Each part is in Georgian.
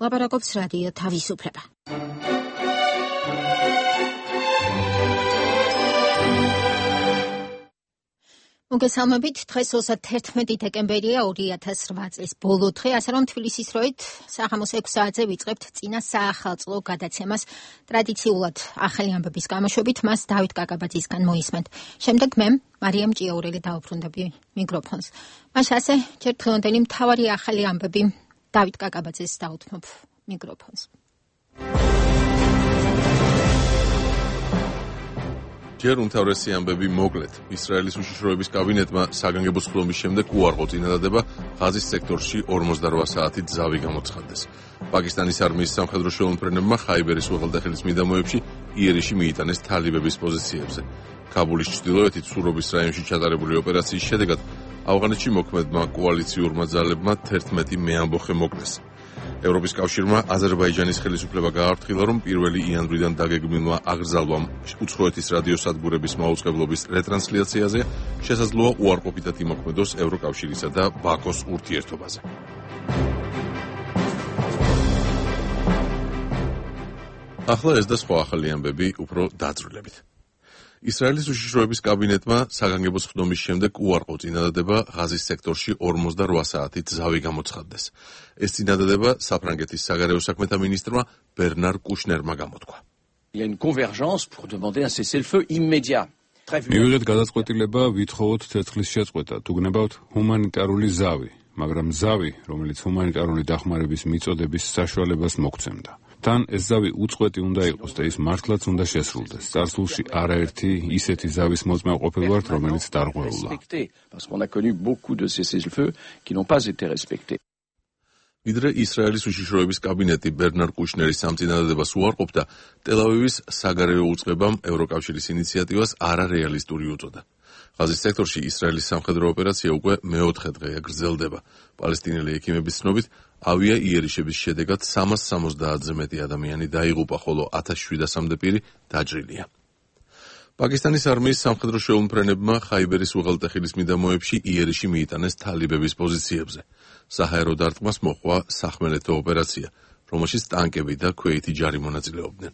ლაპარაკობს რადიო თავისუფლება. მოგესალმებით, დღეს 31 დეკემბერია 2008 წლის ბოლო დღე, ასე რომ თბილისის დროით საღამოს 6 საათზე ვიწყებთ წინა საახალწლო გადაცემას. ტრადიციულად ახალი ამბების გამოშვებით მას დავით კაკაბაძისგან მოისმენთ. შემდეგ მე, მარიამ ჭიაურელი დავუბრუნდები მიკროფონს. მას ასე ჯერ დღევანდელი მთავარი ახალი ამბები დავით კაკაბაძეს დაუთმობ მიკროფონს. ჯერ უმთავრესი ამბები მოკლედ. ისრაელის უშიშროების კაბინეტმა საგანგებო სხდომის შემდეგ უარყო წინადადება ღაზის სექტორში 48 საათით ზავი გამოცხადდეს. პაკისტანის არმიის სამხედრო შეუმფრენებმა ხაიბერის უღელტეხილის მიდამოებში იერიში მიიტანეს თალიბების პოზიციებზე. ქაბულის ჩრდილოეთით სურობის რაიონში ჩატარებული ოპერაციის შედეგად ავღანეთში მოქმედმა კოალიციურმა ძალებმა 11 მეამბოხე მოკლეს. ევროპის კავშირმა აზერბაიჯანის ხელისუფლება გააფრთხილა, რომ 1 იანვრიდან დაგეგმილმა აღრძალვამ უცხოეთის რადიოსადგურების მაუწყებლობის რეტრანსლაციაზე შესაძლოა უარყოფითად იმოქმედოს ევროკავშირისა და ბაქოს ურთიერთობაზე. ახლა ეს და სხვა ახალი ამბები უფრო დაძრულებით. ისრაელის უშიშროების კაბინეტმა საგანგებო სხდომის შემდეგ უარყო წინადადება ღაზის სექტორში 48 საათით ზავი გამოცხადდეს. ეს წინადადება საფრანგეთის საგარეო საქმეთა მინისტრმა ბერნარ კუშნერმა გამოთქვა. მივიღეთ გადაწყვეტილება ვითხოვოთ ცეცხლის შეწყვეტა, თუ გნებავთ ჰუმანიტარული ზავი, მაგრამ ზავი, რომელიც ჰუმანიტარული დახმარების მიწოდების საშუალებას მოგცემდა. თან ეს ზავი უწყვეტი უნდა იყოს და ის მართლაც უნდა შესრულდეს. წარსულში არაერთი ისეთი ზავის მოწმე ყოფილი ვართ, რომელიც დარღვეულა. ვიდრე ისრაელის უშიშროების კაბინეტი ბერნარ კუშნერის სამწინადადებას უარყოფდა, ტელ-ავივის საგარეო უწყებამ ევროკავშირის ინიციატივას არარეალისტური უწოდა. ღაზის სექტორში ისრაელის სამხედრო ოპერაცია უკვე მეოთხე დღეა გრძელდება. პალესტინელი ექიმების ცნობით, ავია იერიშების შედეგად 370-ზე მეტი ადამიანი დაიღუპა, ხოლო 1700-მდე პირი დაჭრილია. პაკისტანის არმიის სამხედრო შეუმფრენებმა ხაიბერის უღელტეხილის მიდამოებში იერიში მიიტანეს თალიბების პოზიციებზე. საჰაერო დარტყმას მოჰყვა სახმელეთო ოპერაცია, რომელშიც ტანკები და ქვეითი ჯარი მონაწილეობდნენ.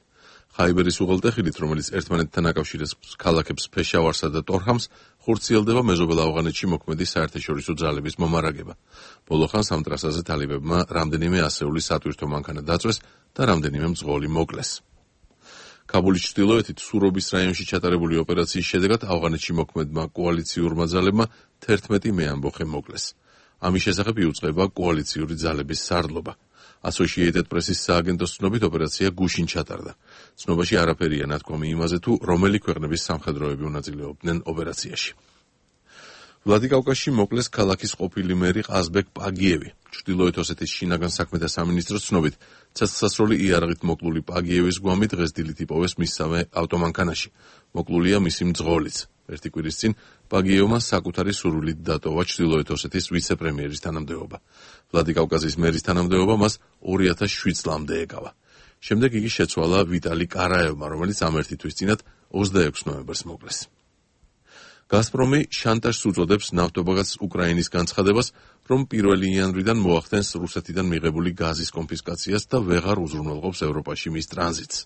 ხაიბერის უღელტეხილით, რომელიც ერთმანეთთან აკავშირებს ქალაქებს ფეშავარსა და ტორჰამს, ხორციელდება მეზობელ ავღანეთში მოქმედი საერთაშორისო ძალების მომარაგება. ბოლო ხანს ამ ტრასაზე თალიბებმა რამდენიმე ასეული სატვირთო მანქანა დაწვეს და რამდენიმე მძღოლი მოკლეს. ქაბულის ჩრდილოეთით სურობის რაიონში ჩატარებული ოპერაციის შედეგად ავღანეთში მოქმედმა კოალიციურმა ძალებმა 11 მეამბოხე მოკლეს. ამის შესახებ იუწყება კოალიციური ძალების სარდლობა. Associated Press-ის სააგენტოს ცნობით ოპერაცია გუშინ ჩატარდა. ცნობაში არაფერია ნათქვამი იმაზე, თუ რომელი ქვეყნების სამხედროები უნაწილეობდნენ ოპერაციაში. ვლადიკავკაზში მოკლეს ქალაქის ყოფილი მერი ყაზბეკ პაგიევი. ჩრდილოეთ ოსეთის შინაგან საქმეთა სამინისტროს ცნობით, ცეცხლსასროლი იარაღით მოკლული პაგიევის გვამი დღეს დილით იპოვეს მისსავე ავტომანქანაში. მოკლულია მისი მძღოლიც. ერთი კვირის წინ პაგიევმა საკუთარი სურვილით დატოვა ჩრდილოეთ ოსეთის ვიცე-პრემიერის თანამდებობა. ვლადიკავკაზის მერის თანამდებობა მას 2007 წლამდე ეკავა. შემდეგ იგი შეცვალა ვიტალი კარაევმა, რომელიც ამ ერთი თვის წინათ 26 ნოემბერს მოკლეს. გაზპრომი შანტაჟს უწოდებს ნავთობაგაზ უკრაინის განცხადებას, რომ 1 იანვრიდან მოახდენს რუსეთიდან მიღებული გაზის კონფისკაციას და ვეღარ უზრუნველყოფს ევროპაში მის ტრანზიტს.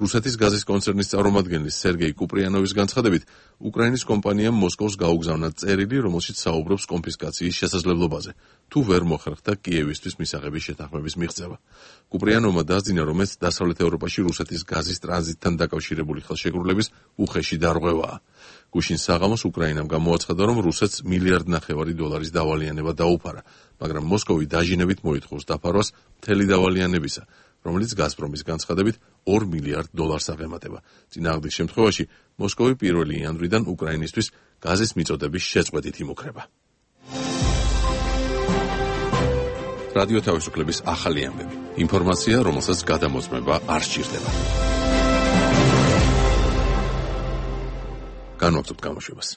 რუსეთის გაზის კონცერნის წარმომადგენლის სერგეი კუპრიანოვის განცხადებით, უკრაინის კომპანიამ მოსკოვს გაუგზავნა წერილი, რომელშიც საუბრობს კონფისკაციის შესაძლებლობაზე, თუ ვერ მოხერხდა კიევისთვის მისაღების შეთანხმების მიღწევა. კუპრიანოვმა დაძინა, რომ ეს დასავლეთ ევროპაში რუსეთის გაზის ტრანზიტთან დაკავშირებული ხელშეკრულების უხეში დარღვევაა. გუშინ საღამოს უკრაინამ გამოაცხადა, რომ რუსეთს $1.5 მილიარდი დავალიანება დაუფარა, მაგრამ მოსკოვი დაჟინებით მოითხოვს დაფარვას მთელი დავალიანებისა, რომელიც გაზპრომის განცხადებით $2 მილიარდ აღემატება. წინააღმდეგ შემთხვევაში მოსკოვი 1 იანვრიდან უკრაინისთვის გაზის მიწოდების შეწყვეტით იმუქრება. რადიო თავისუფლების ახალი ამბები. ინფორმაცია, რომელსაც გადამოწმება არ სჭირდება. განვაგრძობთ გამოშვებას.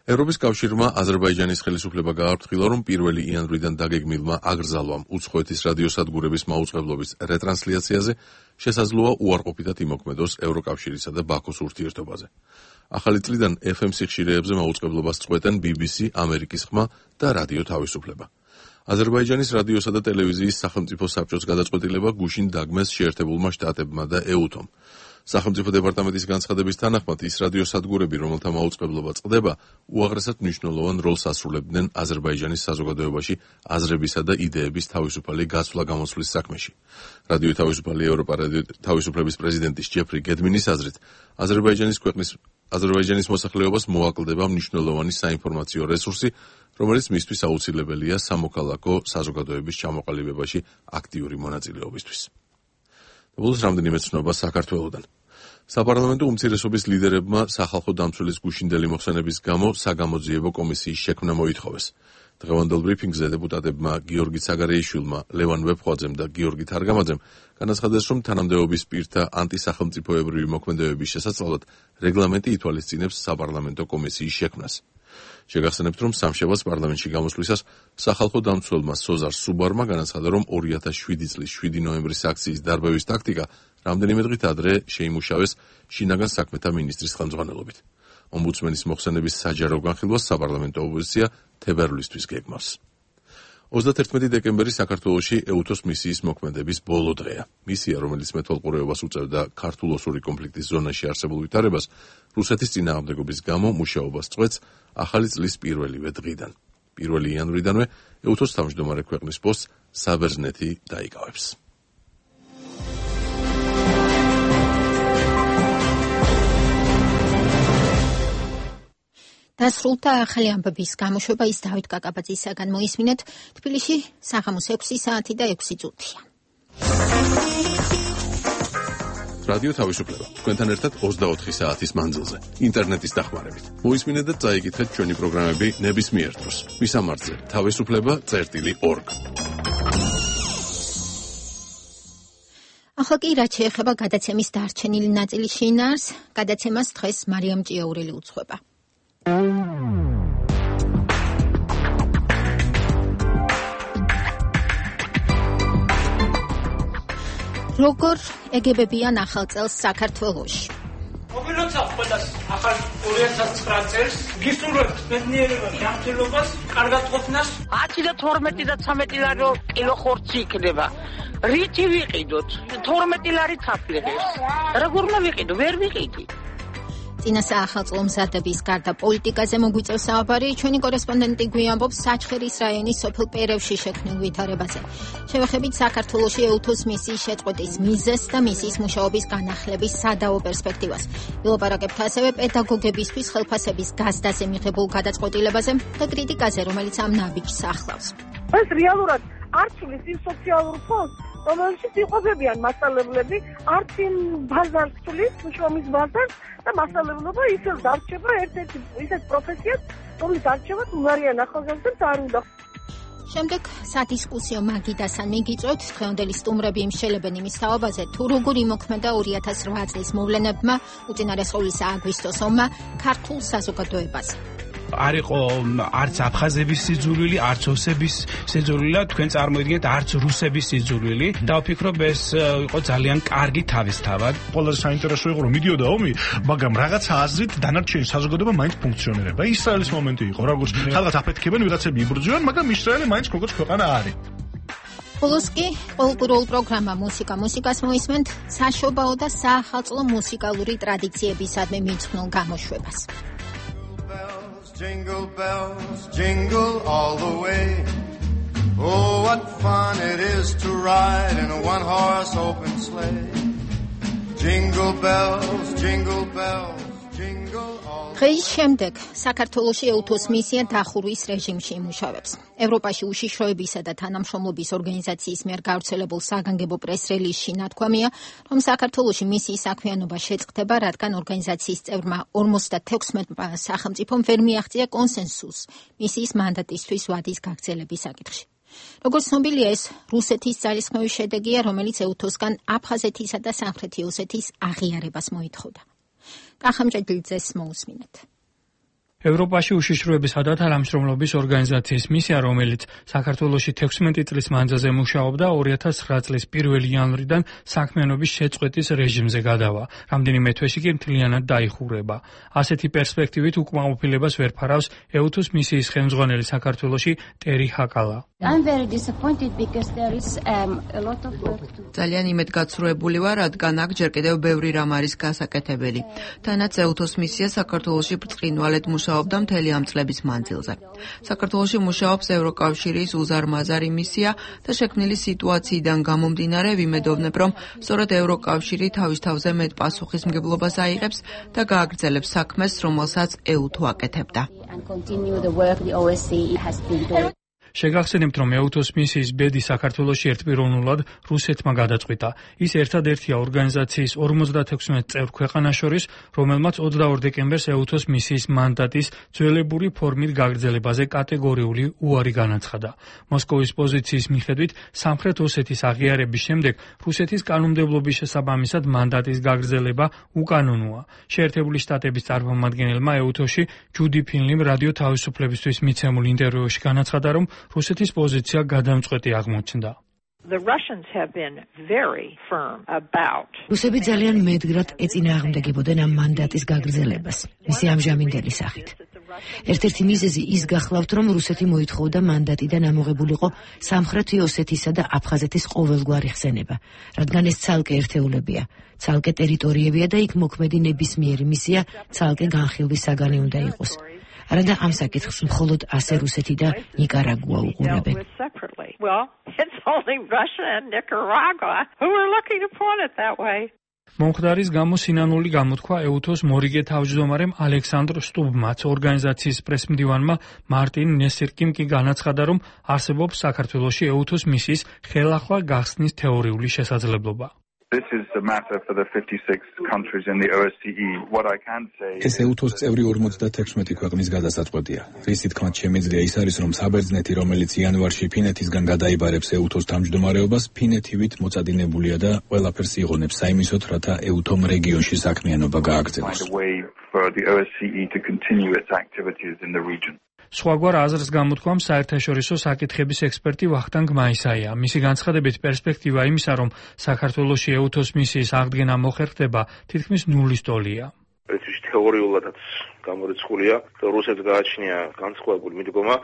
ევროპის კავშირმა აზერბაიჯანის ხელისუფლება გააფრთხილა, რომ 1 იანვრიდან დაგეგმილმა აგრძალვამ უცხოეთის რადიოსადგურების მაუწყებლობის რეტრანსლაციაზე შესაძლოა უარყოფითად იმოქმედოს ევროკავშირისა და ბაქოს ურთიერთობაზე. ახალი წლიდან FM სიხშირეებზე მაუწყებლობას წყვეტენ BBC, ამერიკის ხმა და რადიო თავისუფლება. აზერბაიჯანის რადიოსა და ტელევიზიის სახელმწიფო საბჭოს გადაწყვეტილება გუშინ დაგმეს შეერთებულმა შტატებმა და ეუთომ. სახელმწიფო დეპარტამენტის განცხადების თანახმად ის რადიოსადგურები, რომელთა მაუწყებლობა წყდება, უაღრესად მნიშვნელოვან როლს ასრულებდნენ აზერბაიჯანის საზოგადოებაში აზრებისა და იდეების თავისუფალი გაცვლა-გამოცვლის საქმეში. რადიო თავისუფალი ევროპა თავისუფლების პრეზიდენტის ჯეფრი გედმინის აზრით, აზერბაიჯანის მოსახლეობას მოაკლდება მნიშვნელოვანი საინფორმაციო რესურსი, რომელიც მისთვის აუცილებელია სამოქალაქო საზოგადოების ჩამოყალიბებაში აქტიური მონაწილეობისთვის. ბოლოს რამდენიმე ცნობა საქართველოდან. საპარლამენტო უმცირესობის ლიდერებმა სახალხო დამცველის გუშინდელი მოხსენების გამო საგამოძიებო კომისიის შექმნა მოითხოვეს. დღევანდელ ბრიფინგზე დეპუტატებმა გიორგი ცაგარეიშვილმა, ლევან ვეფხვაძემ და გიორგი თარგამაძემ განაცხადეს, რომ თანამდებობის პირთა ანტისახელმწიფოებრივი მოქმედებების შესაძლებლად რეგლამენტი ითვალისწინებს საპარლამენტო კომისიის შექმნას. შეგახსენებთ, რომ სამშაბათს პარლამენტში გამოსვლისას სახალხო დამცველმა სოზარ სუბარმა განაცხადა, რომ 2007 წლის 7 ნოემბრის აქციის დარბევის ტაქტიკა რამდენიმე დღით ადრე შეიმუშავეს შინაგან საქმეთა მინისტრის ხელმძღვანელობით. ომბუდსმენის მოხსენების საჯარო განხილვას საპარლამენტო ოპოზიცია თებერვლისთვის გეგმავს. 31 დეკემბერი საქართველოში ეუთოს მისიის მოქმედების ბოლო დღეა. მისია, რომელიც მეთვალყურეობას უწევდა ქართულ-ოსური კონფლიქტის ზონაში არსებულ ვითარებას, რუსეთის წინააღმდეგობის გამო მუშაობას წყვეტს ახალი წლის პირველივე დღიდან. 1 იანვრიდანვე ეუთოს თავმჯდომარე ქვეყნის პოსტს საბერძნეთი დაიკავებს. დასრულდა ახალი ამბების გამოშვება, ის დავით კაკაბაძისაგან მოისმინეთ. თბილისში საღამოს 6 საათი და 6 წუთია. რადიო თავისუფლება თქვენთან ერთად 24 საათის მანძილზე ინტერნეტის დახმარებით. მოისმინეთ და წაიკითხეთ ჩვენი პროგრამები ნებისმიერ დროს. მისამართზე თავისუფლება.org. ახლა კი რაც შეეხება გადაცემის დარჩენილი ნაწილის შინაარს, გადაცემას დღეს მარიამ ჭიაურელი უძღვება. როგორ ეგებებიან ახალ წელს საქართველოში? მოგილოცავ ყველას ახალ 2009 წელს, გისურვებთ ბედნიერება, ჯანმრთელობას, კარგად ყოფნას. 10 და 12 და 13 ლარი კილო ხორცი იქნება. რითი ვიყიდოთ? 12 ლარი თაფლიღებს. როგორ უნდა ვიყიდო? ვერ ვიყიდი. წინა საახალწლო მზადების გარდა პოლიტიკაზე მოგვიწევს საუბარი ჩვენი კორესპონდენტი გვიამბობს საჩხერის რაიონის სოფელ პერევში შექმნილ ვითარებაზე. შევეხებით საქართველოში ეუთოს მისიის შეწყვეტის მიზეზს და მისიის მუშაობის განახლების სადაო პერსპექტივას. ვილაპარაკებთ ასევე პედაგოგებისთვის ხელფასების გაზდაზე მიღებულ გადაწყვეტილებაზე და კრიტიკაზე, რომელიც ამ ნაბიჯს ახლავს. ეს რეალურად არჩილის იმ სოციალურ ფონდს, რომელშიც იყოფებიან მასწავლებლები, არც იმ ბაზარს თulis, შრომის ბაზარს და მასწავლებლობა ისევ დარჩება ერთ-ერთი ისეთ პროფესიად, რომელიც არჩევად უნარიან ახალგაზრდებს არ უნდა. შემდეგ სადისკუსიო მაგიდასთან მიგიწვევთ დღევანდელი სტუმრები იმშელებენ იმის თაობაზე, თუ როგორ იმოქმედა 2008 წლის მოვლენებმა, უწინარესყოვლისა აგვისტოს ომმა ქართულ საზოგადოებაზე. არ იყო არც აფხაზების სიძულვილი, არც ოსების სიძულვილი და თქვენ წარმოიდგინეთ არც რუსების სიძულვილი. და ვფიქრობ ეს იყო ძალიან კარგი თავისთავად. ყველაზე საინტერესო იყო რომ მიდიოდა ომი, მაგრამ რაღაცა აზრით დანარჩენი საზოგადოება მაინც ფუნქციონირება. ისრაელის მომენტი იყო, როგორც ხალხს აფეთქებენ, ვიღაცები იბრძვიან, მაგრამ ისრაელი მაინც როგორც ქვეყანა არის. ბოლოს კი კულტურულ პროგრამა მუსიკას მოისმენთ საშობაო და საახალწლო მუსიკალური ტრადიციებისადმი მიძღვნილ გამოშვებას. Jingle bells, jingle all the way. Oh, what fun it is to ride in a one-horse open sleigh. Jingle bells, jingle bells, jingle all the way. დღის შემდეგ საქართველოში ეუთოს მისია დახურვის რეჟიმში იმუშავებს. ევროპაში უშიშროებისა და თანამშრომლობის ორგანიზაციის მიერ გავრცელებულ საგანგებო პრეს-რელიზში ნათქვამია, რომ საქართველოში მისიის საქმიანობა შეწყდება, რადგან ორგანიზაციის წევრმა 56 სახელმწიფომ ვერ მიაღწია კონსენსუსს მისიის მანდატისთვის ვადის გაგრძელების საკითხში. როგორც ცნობილია, ეს რუსეთის ძალისხმევის შედეგია, რომელიც ეუთოსგან აფხაზეთისა და სამხრეთი ოსეთის აღიარებას მოითხოვდა. კახამჭედლიძეს მოусმინეთ. ევროპაში უშიშროებისა და თანამშრომლობის ორგანიზაციის მისია, რომელიც საქართველოში 16 წლის მანძილზე მუშაობდა, 2009 წლის 1 იანვრიდან საქმიანობის შეწყვეტის რეჟიმზე გადავა. რამდენიმე თვეში კი მთლიანად დაიხურება. ასეთი პერსპექტივით უკმაყოფილებას ვერ ფარავს ეუთოს მისიის ხელმძღვანელი საქართველოში ტერი ჰაკალა. I'm very disappointed because there is a lot of work to do. ძალიან იმედგაცრუებული ვარ, რადგან აქ ჯერ კიდევ ბევრი რამ არის გასაკეთებელი. თანაც EUTOS მისია საქართველოში ბრწყინვალედ მუშაობდა მთელი ამ წლების მანძილზე. საქართველოში მუშაობს ევროკავშირის უზარმაზარი მისია და შექმნილი სიტუაციიდან გამომდინარე ვიმედოვნებ, რომ სწორედ ევროკავშირი თავის თავზე მეტ პასუხისმგებლობას აიღებს და გააგრძელებს საქმეს, რომელსაც EUTO აკეთებდა. And continue the work the OSCE has been doing. შეგახსენებთ, რომ EUTOS მისიის ბედი საქართველოში ერთპიროვნულად რუსეთმა გადაწყვიტა. ის ერთადერთია ორგანიზაციის 56 წევრ ქვეყანას შორის, რომელმაც 22 დეკემბერს EUTOS მისიის მანდატის ძველებური ფორმით გაგრძელებაზე კატეგორიული უარი განაცხადა. მოსკოვის პოზიციის მიხედვით, სამხრეთ ოსეთის აღიარების შემდეგ რუსეთის კანონმდებლობის შესაბამისად მანდატის გაგრძელება უკანონოა. შეერთებული შტატების წარმომადგენელმა EUTOS-ში ჯუდი ფინლიმ რადიო თავისუფლებისთვის მიცემულ ინტერვიუში განაცხადა, რომ რუსეთის პოზიცია გადამწყვეტი აღმოჩნდა. რუსები ძალიან მედგრად ეწინააღმდეგებოდნენ ამ მანდატის გაგრძელებას, მისი ამჟამინდელი სახით. ერთ-ერთი მიზეზი ის გახლავთ, რომ რუსეთი მოითხოვდა მანდატიდან ამოღებულიყო სამხრეთი ოსეთისა და აფხაზეთის ყოველგვარი ხსენება, რადგან ეს ცალკე ერთეულებია, ცალკე ტერიტორიებია და იქ მოქმედი ნებისმიერი მისია ცალკე განხილვის საგანი უნდა იყოს. არადა ამ საკითხს მხოლოდ ასე რუსეთი და ნიკარაგუა უყურებენ. მომხდარის გამო სინანული გამოთქვა EUTOS მორიგე თავმჯდომარემ ალექსანდრ სტუბმაც, ორგანიზაციის პრესმდივანმა მარტინ ნესირკიმ კი განაცხადა, რომ არსებობს საქართველოში EUTOS მისიის ხელახლა გახსნის თეორიული შესაძლებლობა. This is a matter for the 56 countries in the OSCE. What I can say ეს EUTOS წევრი 56 ქვეყნის გადასაწყვეტია. რის თქმაც შემიძლია ის არის, რომ საბერძნეთი, რომელიც იანვარში ფინეთისგან გადაიბარებს EUTOS თავმჯდომარეობას, ფინეთივით მოწადინებულია და ყველაფერს იღონებს საიმისოდ, რათა EUTOM რეგიონში საქმიანობა გააგრძელოს. სხვაგვარ აზრს გამოთქვამს საერთაშორისო საკითხების ექსპერტი ვახტანგ მაისაია. მისი განცხადებით პერსპექტივა იმისა, რომ საქართველოში EUTOS მისიის აღდგენა მოხერხდება, თითქმის ნულის ტოლია. თეორიულადაც გამორიცხულია, რომ რუსეთს გააჩნია განსხვავებული მიდგომა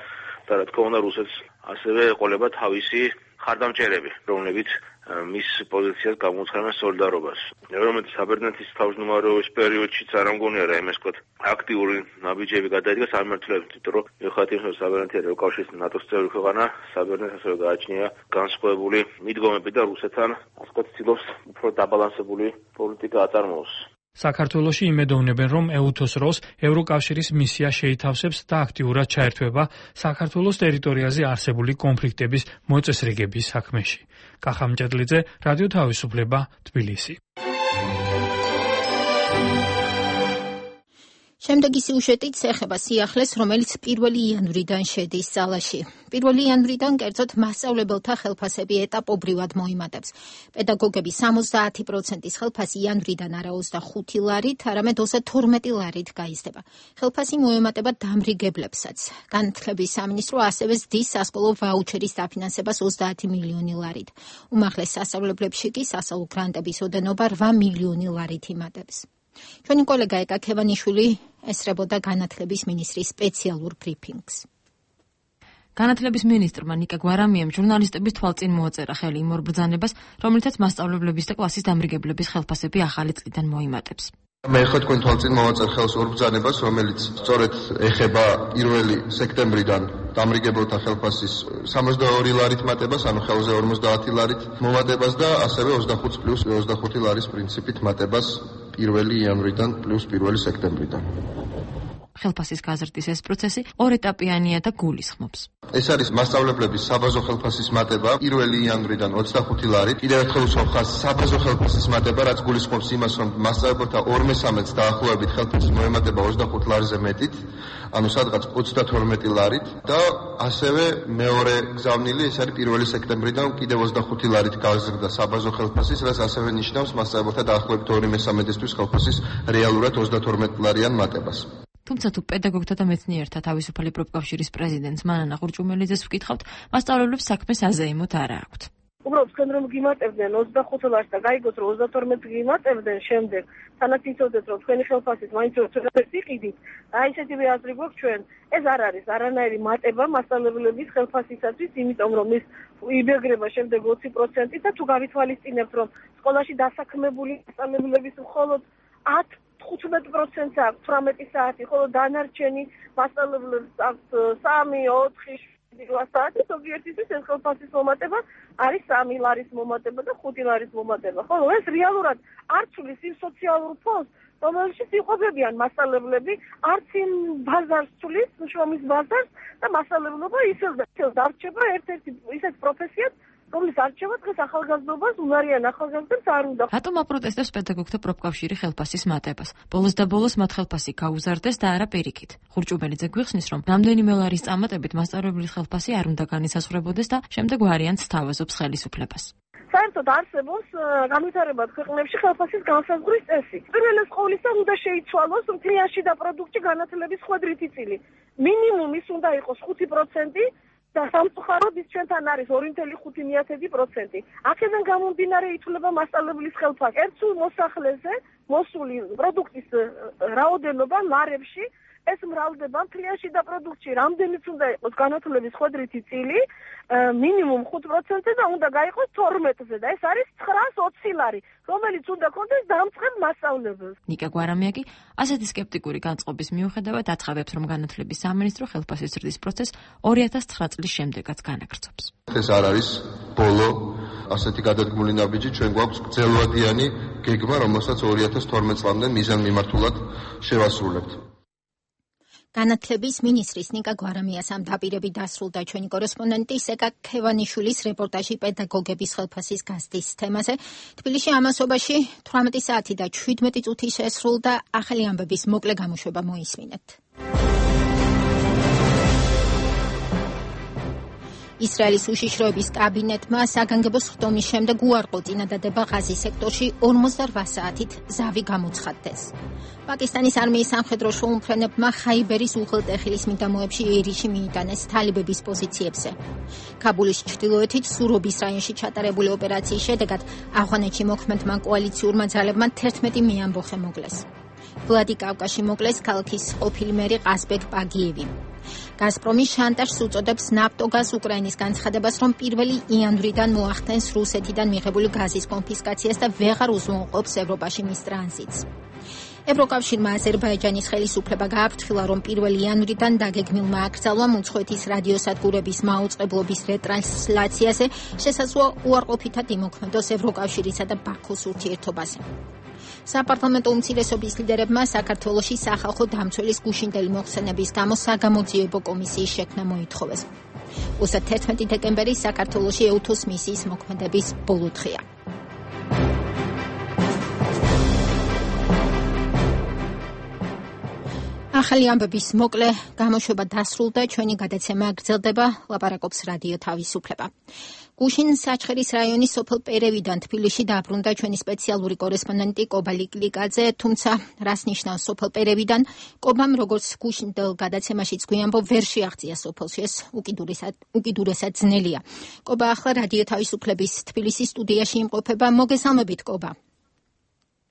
და რა თქმა უნდა რუსეთს ასევე ეყოლება თავისი ხარდამჭერები, რომლებიც მის პოზიციას გამოუცხადებს სოლიდარობას. რომელიც საბერძნეთის თავმჯდომარეობის პერიოდშიც არ ამგონია რა იმას ვთქვათ, აქტიური ნაბიჯები გადაიდგა სამმართველოებს, იმიტომ რომ მიუხედავად იმისა, რომ საბერძნეთი ევროკავშირის ნატოს წევრი ქვეყანა, საბერძნეთს ასევე გააჩნია განსხვავებული მიდგომები და რუსეთთან, ასე ვთქვათ, ცდილობს უფრო დაბალანსებული პოლიტიკა აწარმოოს. საქართველოში იმედოვნებენ, რომ EUTOS როლს ევროკავშირის მისია შეითავსებს და აქტიურად ჩაერთვება საქართველოს ტერიტორიაზე არსებული კონფლიქტების მოწესრიგების საქმეში. კახა მჭედლიძე, რადიო თავისუფლება, თბილისი. შემდეგი სიუჟეტით ეხება სიახლეს, რომელიც 1 იანვრიდან შედის ძალაში. 1 იანვრიდან კერძოდ მასწავლებელთა ხელფასები ეტაპობრივად მოიმატებს. პედაგოგები 70% ხელფასი იანვრიდან არა 25 ლარით, არამედ 32 ლარით გაიზრდება. ხელფასი მოემატება დამრიგებლებსაც. განათლების სამინისტრო ასევე ზრდის სასკოლო ვაუჩერის დაფინანსებას 30 მილიონი ლარით. უმაღლეს სასწავლებლებში კი სასწავლო გრანტების ოდენობა 8 მილიონი ლარით იმატებს. ჩვენი კოლეგა ეკა ქევანიშვილი ესწრებოდა განათლების მინისტრის სპეციალურ ბრიფინგს. განათლების მინისტრმა ნიკა გვარამიამ ჟურნალისტების თვალწინ მოაწერა ხელი იმ ორ ბრძანებას, რომლითაც მასწავლებლების და კლასის დამრიგებლების ხელფასები ახალი წლიდან მოიმატებს. მე ხო თქვენ თვალწინ მოვაწერ ხელს ორ ბრძანებას, რომელიც სწორედ ეხება 1 სექტემბრიდან დამრიგებელთა ხელფასის 62 ლარით მატებას, ანუ ხელზე 50 ლარით მომატებას და ასევე 25 პლუს 25 ლარის პრინციპით მატებას 1 იანვრიდან პლუს 1 სექტემბრიდან. ხელფასის გაზრდის ეს პროცესი ორეტაპიანია და გულისხმობს. ეს არის მასწავლებლების საბაზო ხელფასის მატება 1 იანვრიდან 25 ლარით. კიდევ ერთხელ ვსვამ საბაზო ხელფასის მატება, რაც გულისხმობს იმას, რომ მასწავლებელთა 2/3-ს დაახლოებით ხელფასის მოემატება 25 ლარზე მეტით, ანუ სადღაც 32 ლარით და ასევე მეორე გზავნილი ეს არის 1 სექტემბრიდან კიდევ 25 ლარით გაზრდა საბაზო ხელფასის, რაც ასევე ნიშნავს მასწავლებელთა დაახლოებით 2/3-ისთვის ხელფასის რეალურად 32 ლარიან მატებას. თუმცა თუ პედაგოგთა და მეცნიერთა თავისუფალი პროფკავშირის პრეზიდენტს მანანა ყურჭუმელიძეს ვკითხავთ, მასწავლებლებს საქმეს აზეიმოთ არა აქვთ. უბრალოდ თქვენ რომ გიმატებდნენ 25 ლარს და გაიგოთ რომ 32 გიმატებდნენ შემდეგ თანაც იცოდეთ რომ თქვენი ხელფასით მაინც როდესაც იყიდით აი ესეთივე აზრი გვაქვს ჩვენ ეს არ არის არანაირი მატება მასწავლებლების ხელფასისათვის იმიტომ რომ ის იბეგრება შემდეგ 20% და თუ გავითვალისწინებთ რომ სკოლაში დასაქმებული მასწავლებლების მხოლოდ 10-15% აქვს 18 საათი ხოლო დანარჩენი მასწავლებლებს აქვს 3-4 საათი ზოგიერთისთვის ეს ხელფასის მომატება არის 3 ლარის მომატება და 5 ლარის მომატება. ხოლო ეს რეალურად არ ცვლის იმ სოციალურ ფონდს, რომელშიც იყოფებიან მასწავლებლები, არც იმ ბაზარს ცვლის, შრომის ბაზარს და მასწავლებლობა ისევ დარჩება ერთ-ერთი ისეთ პროფესიად, რომლის არჩევა დღეს ახალგაზრდობას უნარიან ახალგაზრდებს არ უნდა. რატომ აპროტესტებს პედაგოგთა პროფკავშირი ხელფასის მატებას? ბოლოს და ბოლოს მათ ხელფასი გაუზარდეს და არა პირიქით. ხურჭუბელიძე გვიხსნის, რომ რამდენიმე ლარის წამატებით მასწავლებლის ხელფასი არ უნდა განისაზღვრებოდეს და შემდეგ ვარიანტს თავაზობს ხელისუფლებას. საერთოდ არსებობს განვითარებად ქვეყნებში ხელფასის განსაზღვრის წესი. პირველეს ყოვლისა უნდა შეიცვალოს მთლიანში და პროდუქტში განათლების ხვედრითი წილი. მინიმუმ ის უნდა იყოს 5%. და სამწუხაროდ ის ჩვენთან არის 2.5%. აქედან გამომდინარე ითვლება მასწავლებლის ხელფასი. ერთ სულ მოსახლეზე მოსული პროდუქტის რაოდენობა ლარებში ეს მრავლდება მთლიანში და პროდუქტში. რამდენიც უნდა იყოს განათლების ხვედრითი წილი, მინიმუმ 5% და უნდა გაიყოს 12-ზე და ეს არის 920 ლარი, რომელიც უნდა კონდეს დამწყებ მასწავლებელს. ნიკა გვარამია კი ასეთი სკეპტიკური განწყობის მიუხედავად აცხადებს, რომ განათლების სამინისტრო ხელფასის ზრდის პროცესს 2009 წლის შემდეგაც განაგრძობს. ეს არ არის ბოლო ასეთი გადადგმული ნაბიჯი, ჩვენ გვაქვს გრძელვადიანი გეგმა, რომელსაც 2012 წლამდე მიზანმიმართულად შევასრულებთ. განათლების მინისტრის ნიკა გვარამიას ამ დაპირებით დასრულდა ჩვენი კორესპონდენტი სეკა ქევანიშვილის რეპორტაჟი პედაგოგების ხელფასის გაზრდის თემაზე. თბილისში ამასობაში 18 საათი და 17 წუთი შესრულდა. ახალი ამბების მოკლე გამოშვება მოისმინეთ. ისრაელის უშიშროების კაბინეტმა საგანგებო სხდომის შემდეგ უარყო წინადადება ღაზის სექტორში 48 საათით ზავი გამოცხადდეს. პაკისტანის არმიის სამხედრო შუამფრენებმა ხაიბერის უღელტეხილის მიდამოებში ერიში მიიტანეს თალიბების პოზიციებზე. ქაბულის ჩრდილოეთით სურობის რაიონში ჩატარებული ოპერაციის შედეგად ავღანეთში მოქმედმა კოალიციურმა ძალებმა 11 მეამბოხე მოკლეს. ვლადიკავკაში მოკლეს ქალაქის ყოფილი მერი ყაზბეკ პაგიევი. გაზპრომი შანტაჟს უწოდებს ნაფტოგაზ უკრაინის განცხადებას, რომ 1 იანვრიდან მოახდენს რუსეთიდან მიღებული გაზის კონფისკაციას და ვეღარ უზრუნველყოფს ევროპაში მის ტრანზიტს. ევროკავშირმა აზერბაიჯანის ხელისუფლება გააფრთხილა, რომ 1 იანვრიდან დაგეგმილმა აკრძალვამ უცხოეთის რადიოსადგურების მაუწყებლობის რეტრანსლაციაზე შესაძლოა უარყოფითად იმოქმედოს ევროკავშირისა და ბაქოს ურთიერთობაზე. საპარლამენტო უმცირესობის ლიდერებმა საქართველოში სახალხო დამცველის გუშინდელი მოხსენების გამო საგამოძიებო კომისიის შექმნა მოითხოვეს. 11 დეკემბერი საქართველოში ეუთოს მისიის მოქმედების ბოლო დღეა. ახალი ამბების მოკლე გამოშვება დასრულდა. ჩვენი გადაცემა გრძელდება. ლაპარაკობს რადიო თავისუფლება. გუშინ საჩხერის რაიონის სოფელ პერევიდან თბილისში დაბრუნდა ჩვენი სპეციალური კორესპონდენტი კობა ლიკლიკაძე, თუმცა რას ნიშნავს სოფელ პერევიდან? კობამ როგორც გუშინდელ გადაცემაშიც გვიამბო, ვერ შეაღწია სოფელში, ეს უკიდურესად ძნელია. კობა ახლა რადიო თავისუფლების თბილისის სტუდიაში იმყოფება. მოგესალმებით, კობა.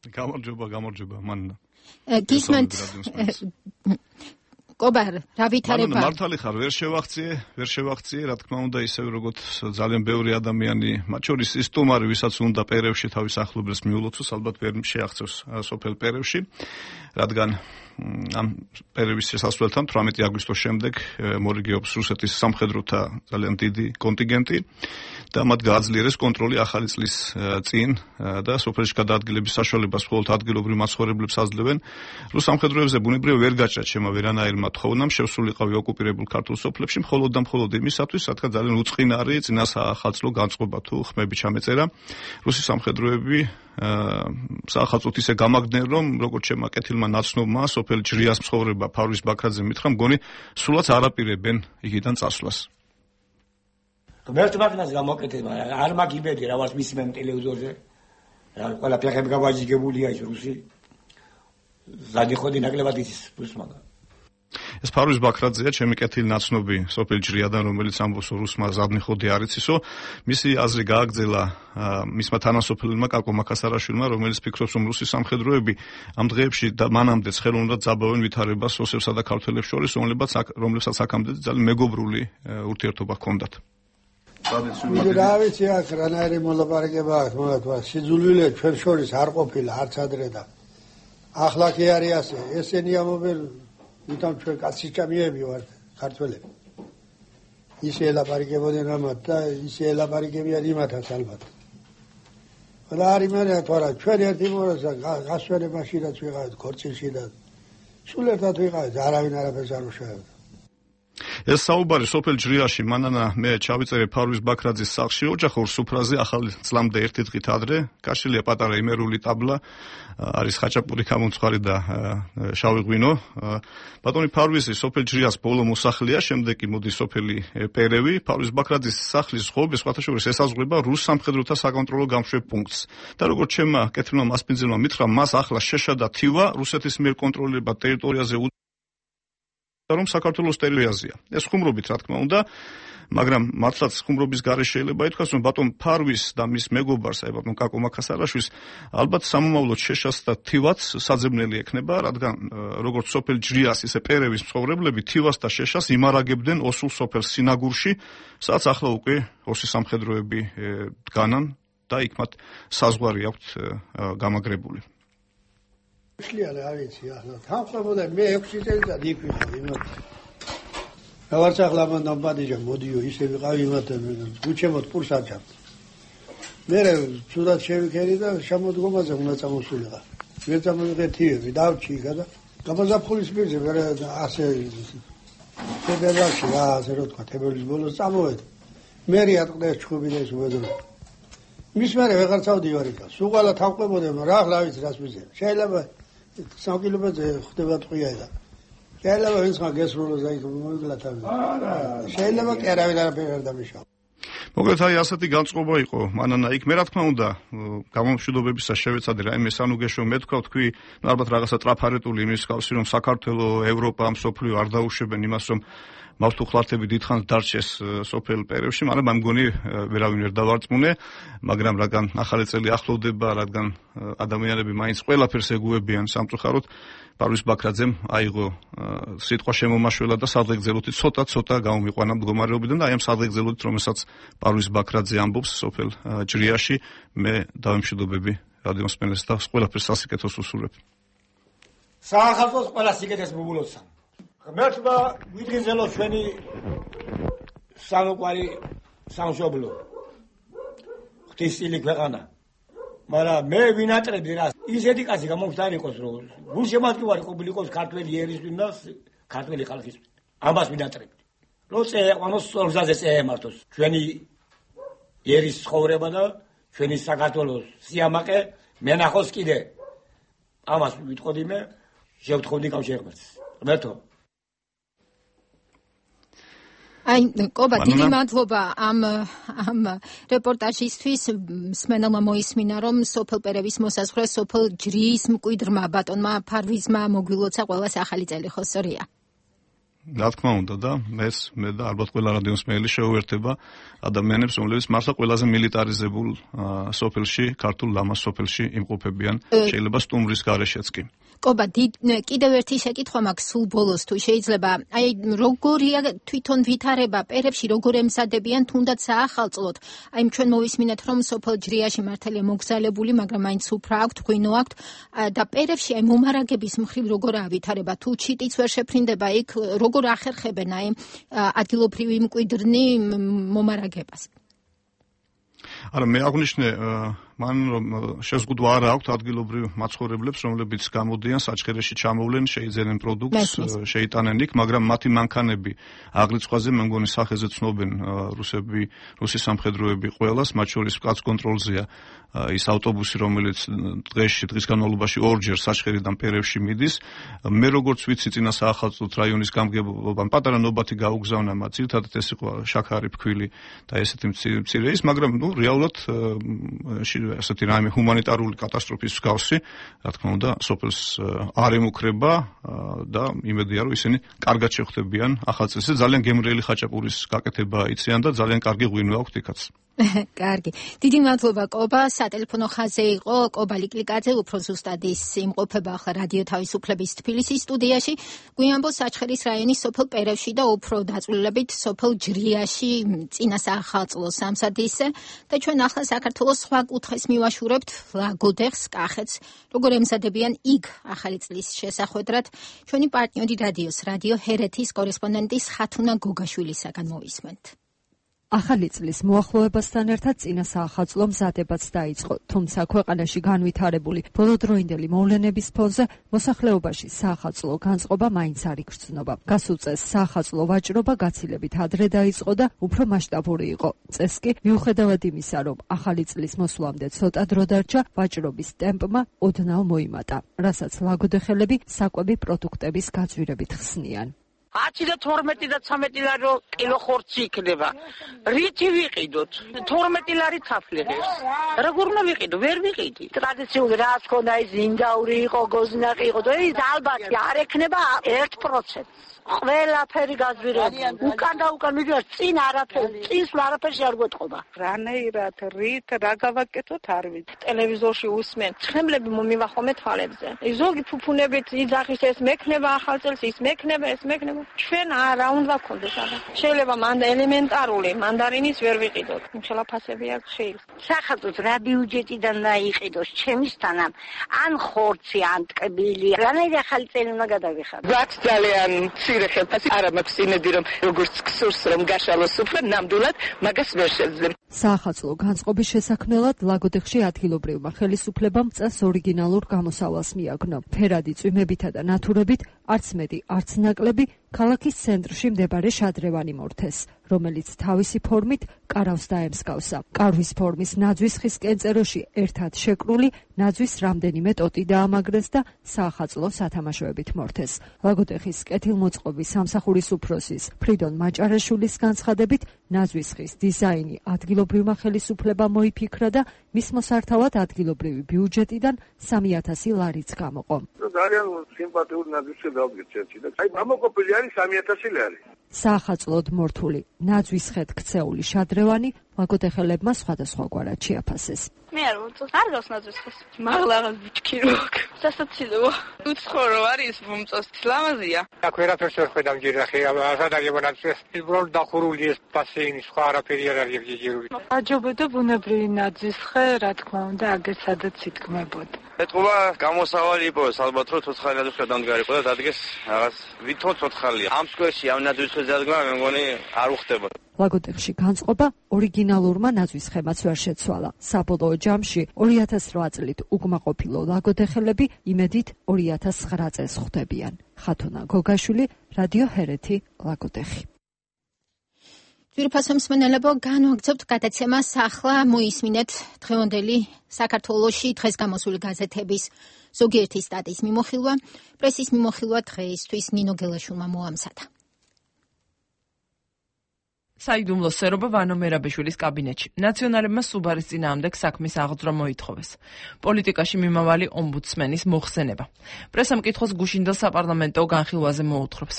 გამარჯობა, მანნა. გისმენთ კობა, რა ვითარება? მართალი ხარ, ვერ შევაღწიე, რა თქმა უნდა, ისევ როგორც ძალიან ბევრი ადამიანი, მათ შორის ის სტუმარი, ვისაც უნდა პერევში თავის ახლობლებს მიულოცოს, ალბათ ვერ შეაღწევს სოფელ პერევში, რადგან ამ პერევის შესასვლელთან 18 აგვისტოს შემდეგ მორიგეობს რუსეთის სამხედროთა ძალიან დიდი კონტინგენტი და მათ გააძლიერეს კონტროლი ახალი წლის წინ და სოფელში გადაადგილების საშუალებას მხოლოდ ადგილობრივ მაცხოვრებლებს აძლევენ. რუს სამხედროებზე ბუნებრივად ვერ გაჭრათ შემა ვერანაირმა თხოვნამ შესულიყავი ოკუპირებულ ქართულ სოფლებში მხოლოდ და მხოლოდ იმისათვის, რადგან ძალიან უწყინარი წინასაახალწლო განწყობა თუ ხმები ჩამეწერა. რუსი სამხედროები საახალწლოდ ისე გამაგდნენ, რომ როგორც შემა კეთილმა ნაცნობმა სოფელი ჯრიას მცხოვრება ფარვის ბაქრაძე მითხრა, მგონი სულაც არ აპირებენ იქიდან წასვლას. ღმერთს მაგნას გამოკეთება, არ მაგიბედი რა ვარ მისმენ ტელევიზორზე. რა ყველა ფეხები გავაჯიგებულია ის რუსი. ზადი ხოდი ნაკლებად ის პლუს მაგა. ეს ფარვის ბაქრაძეა, ჩემი კეთილი ნაცნობი სოფელ ჯრიადან, რომელიც ამბობს რუსმა ზადნიხოდი არ იცისო. მისი აზრი გააგრძელა მისმა თანასოფელმა კაკო მაკასარაშვილმა, რომელიც ფიქრობს, რომ რუსი სამხედროები ამ დღეებში და მანამდეც ხელოვნურად ძაბავენ ვითარებას ოსებსა და ქართველებს შორის, რომლებსაც აქამდე ძალიან მეგობრული ურთიერთობა ჰქონდათ. რა ვიცი აქ რანაირი მოლაპარაკება აქვს მაგათმა სიძულვილე ჩვენ შორის არ ყოფილა არც ადრე და ახლა კი არის ასე ესენი ამობენ ვითომ ჩვენ კაციჭამიები ვართ ქართველები ისე ელაპარაკებოდნენ ამათ და ისე ელაპარაკებიან იმათაც ალბათ რა არის მე თორა ჩვენ ერთი მორასა გასვენებაში რაც ვიყავით ქორწილში და სულ ერთად ვიყავით არავინ არაფერს არ უშავებდა ეს საუბარი სოფელ ჯრიაში მანანა მე ჩავიწერე ფარვის ბაქრაძის სახლში ოჯახურ სუფრაზე ახალი წლამდე ერთი დღით ადრე გაშლილია პატარა იმერული ტაბლა არის ხაჭაპური გამომცხარი და შავი ღვინო ბატონი ფარვისი სოფელ ჯრიას ბოლო მოსახლეა შემდეგ კი მოდის სოფელი პერევი ფარვის ბაქრაძის სახლის ღობე სხვათა შორის ესაზღვრება რუს სამხედროთა საკონტროლო გამშვებ პუნქტს და როგორც ჩემმა კეთილმა მასპინძელმა მითხრა მას ახლა შეშა და თივა რუსეთის მიერ კონტროლირებად ტერიტორიაზე რომ საქართველოს ტერიტორიაზეა. ეს ხუმრობით რა თქმა უნდა, მაგრამ მართლაც ხუმრობის გარეშე შეიძლება ითქვას, რომ ბატონ ფარვის და მის მეგობარს, აი ბატონ კაკო მაკასარაშვილს, ალბათ სამომავლოდ შეშას და თივაც საძებნელი ექნება, რადგან როგორც სოფელ ჯრიას, ისე პერევის მცხოვრებლები თივას და შეშას იმარაგებდნენ ოსულ სოფელ სინაგურში, სადაც ახლა უკვე ოსის სამხედროები დგანან და იქ მათ საზღვარი აქვთ გამაგრებული. შეიძლება არ ვიცი ახლა თავყებოდა მე 6 წელიწად იქ ვიყავ იმათ რაღაც ახლა მანდ ბადიჯა მოდიო ისე ვიყავ იმათ გუჩემოთ პურსაჭა მე ცუდად შევიქერი და შემოდგომაზე უნდა წამოსულიყო მე წამოვიღეთი დავჭიგა და გაბაზაფხულის პირზე მე ასე თებერვალში ასე რო თქვა თებერვლის ბოლოს წამოვედი მე რიატყდეს ჩხუბი და ეს უედრო მის მერე ვეღარ წავდივარ იქ სულ ყველა თავყებოდა რა ახლა ვიცი რას მიზერა შეიძლება 3 კილომეტრზე ხდება ტყვია და შეიძლება ვინც გასრულოს და იქ მოიგლა თავი შეიძლება კი არავინ არაფერი არ დამიშავა მოკლედ აი ასეთი განწყობა იყო მანანა იქ მე რა თქმა უნდა გამომშვიდობებისას შევეცადე რაიმე სანუგეშო მე თქვი ალბათ რაღაცა ტრაფარეტული იმის ხავსი რომ საქართველოს ევროპა მსოფლიო არ დაუშვებენ იმას რომ მართუხლართები დიდხანს დარჩეს სოფელ პერევში მაგრამ ამ მგონი ვერავინ ვერ დავარწმუნე მაგრამ რადგან ახალი წელი ახლოვდება რადგან ადამიანები მაინც ყველაფერს ეგუებიან სამწუხაროდ ფარვის ბაქრაძემ აიღო სიტყვა შემომაშველა და სადღეგრძელოთი ცოტა გამომიყვანა მდგომარეობიდან და აი ამ სადღეგრძელოთით რომელსაც ფარვის ბაქრაძე ამბობს სოფელ ჯრიაში მე დავემშვიდობები რადიოსმენელს და ყველაფერს სასიკეთოს უსურვებ საახალწლოს ყველა სიკეთეს მოგულოცა ღმერთმა ვიდგინზელო ჩვენი სამოყვარი სამშობლო ღვთისწილი ქვეყანა მაგრამ მე ვინატრებდი რა ისეთი კაცი გამომხდარიყოს რომ გულშემატკივარი ყოფილიყოს ქართველი ერისთვის და ქართველი ხალხის ამას ვინატრებდი რომ წეყვანოს ორზაზე წეემართოს ჩვენი ერის ცხოვრება და ჩვენი საქართველოს სიამაყე მენახოს კიდე ამას ვიტყოდი მე შევთხოვდი კავშირს ღმერთო აი კობა დიდი მადლობა ამ რეპორტაჟისთვის მსმენელმა მოისმინა რომ სოფელ პერევის მოსაზღვრე სოფელ ჯრიის მკვიდრმა ბატონმა ფარვიზმა მოგვილოცა ყველას ახალი წელი ხო სწორია რა თქმა უნდა და მე და ალბათ ყველა რადიოსმენელი შეუერთება ადამიანებს რომლებიც მართლა ყველაზე მილიტარიზებულ სოფელში ქართულ ლამაზ სოფელში იმყოფებიან შეიძლება სტუმრის გარეშეც კი კობა კიდევ ერთი შეკითხვა მაქვს სულ ბოლოს თუ შეიძლება აი როგორია თვითონ ვითარება პერებში როგორ ემზადებიან თუნდაც საახალწლოდ აი ჩვენ მოვისმინეთ რომ სოფელ ჯრიაში მართალია მოგზალებული მაგრამ მაინც უფრა აქვთ ღვინო აქვთ და პერებში აი მომარაგების მხრივ როგორაა ვითარება თუ ჩიტიც ვერ შეფრინდება იქ როგორ ახერხებენ აი ადგილობრივი მკვიდრნი მომარაგებას არა მე აღნიშნე მან რომ შეზღუდვა არ აქვს ადგილობრივ მაცხოვრებლებს რომლებიც გამოდიან საჩხერეში ჩამოვლენ შეიძენენ პროდუქტს შეიტანენ იქ მაგრამ მათი მანქანები აღრიცხვაზე მე მგონი სახეზე ცნობენ რუსი სამხედროები ყველას მათ შორის კაც კონტროლზეა ის ავტობუსი რომელიც დღის განმავლობაში ორჯერ საჩხერიდან პერევში მიდის მე როგორც ვიცი წინა საახალწლოდ რაიონის გამგებლობამ პატარა ნობათი გაუგზავნა მათ ძირითადად ეს იყო შაქარი ფქვილი და ესეთი მცირე ის მაგრამ ნუ რეალურად ასეთი რაიმე ჰუმანიტარული კატასტროფის მსგავსი, რა თქმა უნდა, სოფელს არ ემუქრება და იმედია, რომ ისინი კარგად შეხვდებიან ახალ წელს. ძალიან გემრიელი ხაჭაპურის გაკეთება იციან და ძალიან კარგი ღვინო აქვთ იქაც. კარგი. დიდი მადლობა კობა, სატელეფონო ხაზზე იყო კობა ლიკლიკაძე, უფრო ზუსტად ის იმყოფება ახლა რადიო თავისუფლების თბილისის სტუდიაში. გვიანბოს საჩხერის რაიონის სოფელ პერევში და უფრო დაწვრილებით სოფელ ჯრიაში წინა საახალწლო სამსადისზე და ჩვენ ახლა საქართველოს სხვა კუთხეს მივაშურებთ ლაგოდეხს, კახეთს, როგორ ემზადებიან იქ ახალი წლის შესახვედრად. ჩვენი პარტნიორი რადიო ჰერეთის კორესპონდენტის ხათუნა გოგაშვილისაგან მოვისმენთ. ახალი წლის მოახლოებასთან ერთად წინა საახალწლო მზადებაც დაიწყო, თუმცა ქვეყანაში განვითარებული ბოლოდროინდელი მოვლენების ფონზე მოსახლეობაში საახალწლო განწყობა მაინც არ იგრძნობა. გასულ წელს საახალწლო ვაჭრობა გაცილებით ადრე დაიწყო და უფრო მასშტაბური იყო. წელს კი მიუხედავად იმისა, რომ ახალი წლის მოსვლამდე ცოტა დრო დარჩა, ვაჭრობის ტემპმა ოდნავ მოიმატა, რასაც ლაგოდეხელები საკვები პროდუქტების გაძვირებით ხსნიან. 10 და 12 და 13 ლარი კილო ხორცი იქნება. რითი ვიყიდოთ? 12 ლარი თაფლიღებს. როგორ უნდა ვიყიდო? ვერ ვიყიდი. ტრადიციული რა თქონდა ის ინდაური იყო, გოზნაყი იყო და ის ალბათ არ ექნება 1%. ყველაფერი გაძვირებული. უკან და უკან მიდიოს წინ არაფერი, წინს არაფერში არ გვეტყობა. რანაირად რით რა გავაკეთოთ არ ვიცი. ტელევიზორში უსმენ. ცხენლები მომივახომე თვალებზე. ზოგი ფუფუნებით იძახის ეს მექნება ახალ წელს, ის მექნება, ეს მექნება. ჩვენ რა უნდა გქონდეს ახლა. შეიძლება მანდა ელემენტარული მანდარინის ვერ ვიყიდოთ. ხელაფასები აქვს შეიძლება. სახალხოს რა ბიუჯეტიდან დაიყიდოს ჩემისთანამ ან ხორცი, ან ტკბილი. რანაირი ახალი წელი უნდა გადავიხადო. რაც ძალიან მცირე ხელფასი არ მაქვს იმედი რომ როგორც გსურს რომ გაშალოს უფრო ნამდვილად მაგას ვერ შეძლებ. საახალწლო განწყობის შესაქმნელად ლაგოდეხში ადგილობრივმა ხელისუფლებამ წელს ორიგინალურ გამოსავალს მიაგნო. ფერადი წვიმებითა და ნათურებით არც მეტი, არც ნაკლები ქალაქის ცენტრში მდებარე შადრევანი მორთეს, რომელიც თავისი ფორმით კარავს დაემსგავსა. კარვის ფორმის ნაძვის ხის კენწეროში ერთად შეკრული ნაძვის რამდენიმე ტოტი დაამაგრეს და საახალწლო სათამაშოებით მორთეს. ლაგოდეხის კეთილმოწყობის სამსახურის უფროსის ფრიდონ მაჭარაშვილის განცხადებით, ნაძვის ხის დიზაინი ადგილობრივმა ხელისუფლებამ მოიფიქრა და მის მოსართავად ადგილობრივი ბიუჯეტიდან 3000 ლარიც გამოყო. ძალიან სიმპათიური ნაძვისზე დავგეცეთი და აი ამოყოფილი არის 3000 ლარი. საახალწლოდ მორთული ნაძვის ხედ ქცეული შადრევანი ლაგოდეხელებმა სხვადასხვაგვარად შეაფასეს. მე არ მომწონს, არ გავს ნაძვის ხეს. მაღლაღად ბიჭკიროქ. სასაცილოა. უცხორო არის მომწონს, ლამაზია. აქ ვერაფერს ვერ ხედავ ჯერახი, სადაგებო ნაძვის. უბრალოდ დახურული ეს ბასეინი, სხვა არაფერი არ არის ჯერჯერული. აჯობოდა ბუნებრივი ნაძვის ხე, რა თქმა უნდა, აგერ სადაც ითქმებოდა. ეთყობა გამოსავალი იპოვეს, ალბათ რომ ცოცხალი ნაძვის ხე დამდგარიყო და დადგეს რაღაც ვითომ ცოცხალია. ამ სკვერში ამ ნაძვის ხეზე დადგმა მე მგონი არ უხდება. ლაგოდეხში განწყობა ორიგინალურმა ნაძვის ხემაც ვერ შეცვალა. საბოლოო ჯამში 2008 წლით უკმაყოფილო ლაგოდეხელები იმედით 2009 წელს ხვდებიან. ხათუნა გოგაშვილი, რადიო ჰერეთი, ლაგოდეხი. ძვირფასო მსმენელებო, განვაგრძობთ გადაცემას. ახლა მოისმინეთ დღევანდელი საქართველოში დღეს გამოსული გაზეთების ზოგიერთი სტატიის მიმოხილვა. პრესის მიმოხილვა დღეისთვის ნინო გელაშვილმა მოამზადა. საიდუმლო სერობა ვანო მერაბიშვილის კაბინეტში. ნაციონალებმა სუბარის წინააღმდეგ საქმის აღძვრა მოითხოვეს. პოლიტიკაში მიმავალი ომბუდსმენის მოხსენება. პრესამ კითხოს გუშინდელ საპარლამენტო განხილვაზე მოუთხრობს.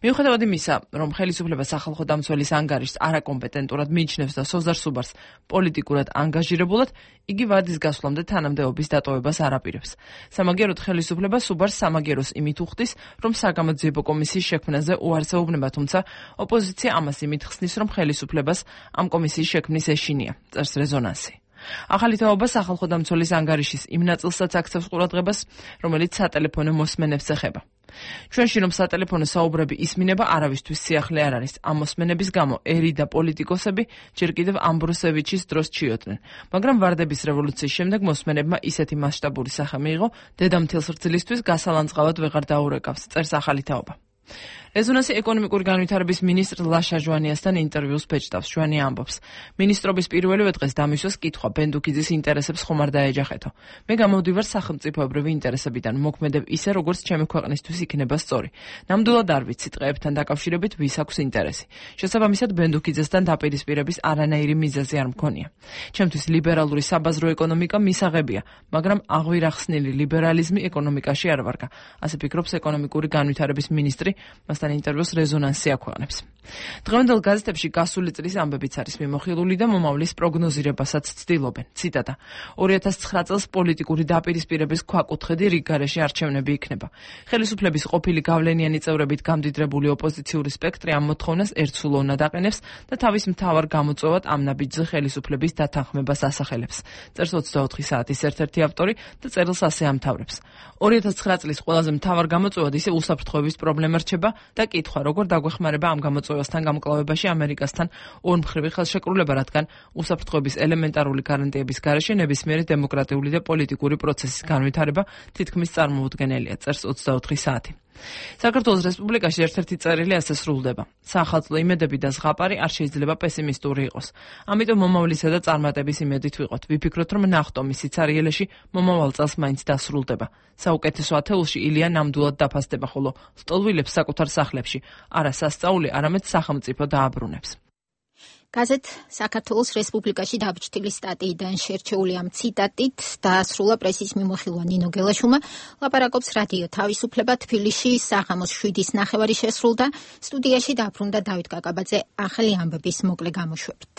მიუხედავად იმისა, რომ ხელისუფლება სახალხო დამცველის ანგარიშს არაკომპეტენტურად მიიჩნევს და სოზარ სუბარს პოლიტიკურად ანგაჟირებულად, იგი ვადის გასვლამდე თანამდებობის დატოვებას არ აპირებს. სამაგიეროდ ხელისუფლება სუბარს სამაგიეროს იმით უხდის, რომ საგამოძიებო კომისიის შექმნაზე უარს ეუბნება, თუმცა ოპოზიცია ამას იმით ხსნის, რომ ხელისუფლებას ამ კომისიის შექმნის ეშინია, წერს რეზონანსი. ახალი თაობა სახალხო დამცველის ანგარიშის იმ ნაწილსაც აქცევს ყურადღებას, რომელიც სატელეფონო მოსმენებს ეხება. ჩვენში რომ სატელეფონო საუბრები ისმინება, არავისთვის სიახლე არ არის. ამ მოსმენების გამო ერი და პოლიტიკოსები ჯერ კიდევ ამბროსევიჩის დროს ჩიოდნენ, მაგრამ ვარდების რევოლუციის შემდეგ მოსმენებმა ისეთი მასშტაბური სახე მიიღო, დედამთილს რძლისთვის გასალანძღავად ვეღარ დაურეკავს, წერს ახალი თაობა. რეზონანსი ეკონომიკური განვითარების მინისტრ ლაშა ჟვანიასთან ინტერვიუს ბეჭდავს. ჟვანი ამბობს: მინისტრობის პირველივე დღეს დამისვეს კითხვა ბენდუქიძის ინტერესებს ხომ არ დაეჯახეთო. მე გამოვდივარ სახელმწიფოებრივი ინტერესებიდან, მოქმედებ ისე, როგორც ჩემი ქვეყნისთვის იქნება სწორი. ნამდვილად არ ვიცი ტყეებთან დაკავშირებით ვის აქვს ინტერესი. შესაბამისად, ბენდუქიძესთან დაპირისპირების არანაირი მიზეზი არ მქონია. ჩემთვის ლიბერალური საბაზრო ეკონომიკა მისაღებია, მაგრამ აღვირახსნილი ლიბერალიზმი ეკონომიკაში არ ვარგა. ასე ფიქრობს ეკონომიკური განვითარების მინისტრი. ინტერვიუს რეზონანსი აქვეყნებს. დღევანდელ გაზეთებში გასული წლის ამბებიც არის მიმოხილული და მომავლის პროგნოზირებასაც ცდილობენ. ციტატა: 2009 წელს პოლიტიკური დაპირისპირების ქვაკუთხედი რიგ გარეშე არჩევნები იქნება. ხელისუფლების ყოფილი გავლენიანი წევრებით გამდიდრებული ოპოზიციური სპექტრი ამ მოთხოვნას ერთსულოვნად აყენებს და თავის მთავარ გამოწვევად ამ ნაბიჯზე ხელისუფლების დათანხმებას ასახელებს. წერს 24 საათის ერთ-ერთი ავტორი და წერილს ასე ამთავრებს. 2009 წლის ყველაზე მთავარ გამოწვევად ისე უსაფრთხოების პრობლემა რჩება და კითხვა, როგორ დაგვეხმარება ამ გამოწვევასთან გამკლავებაში ამერიკასთან ორმხრივი ხელშეკრულება, რადგან უსაფრთხოების ელემენტარული გარანტიების გარეშე ნებისმიერი დემოკრატიული და პოლიტიკური პროცესის განვითარება თითქმის წარმოუდგენელია, წერს 24 საათი. საქართველოს რესპუბლიკაში ერთ-ერთი წერილი ასე სრულდება: საახალწლო იმედები და ზღაპარი არ შეიძლება პესიმისტური იყოს. ამიტომ მომავლისა და წარმატების იმედით ვიყოთ. ვიფიქროთ, რომ ნახტომი სიცარიელეში მომავალ წელს მაინც დასრულდება. საუკეთესო ათეულში ილია ნამდვილად დაფასდება, ხოლო სტოლვილებს საკუთარ სახლებში არა სასწაული, არამედ სახელმწიფო დააბრუნებს. გაზეთ საქართველოს რესპუბლიკაში დაბეჭდილი სტატიიდან შერჩეული ამ ციტატით დაასრულა პრესის მიმოხილვა ნინო გელაშვილმა. ლაპარაკობს რადიო თავისუფლება თბილისში საღამოს 7:30 შესრულდა. სტუდიაში დაბრუნდა დავით კაკაბაძე ახალი ამბების მოკლე გამოშვებით.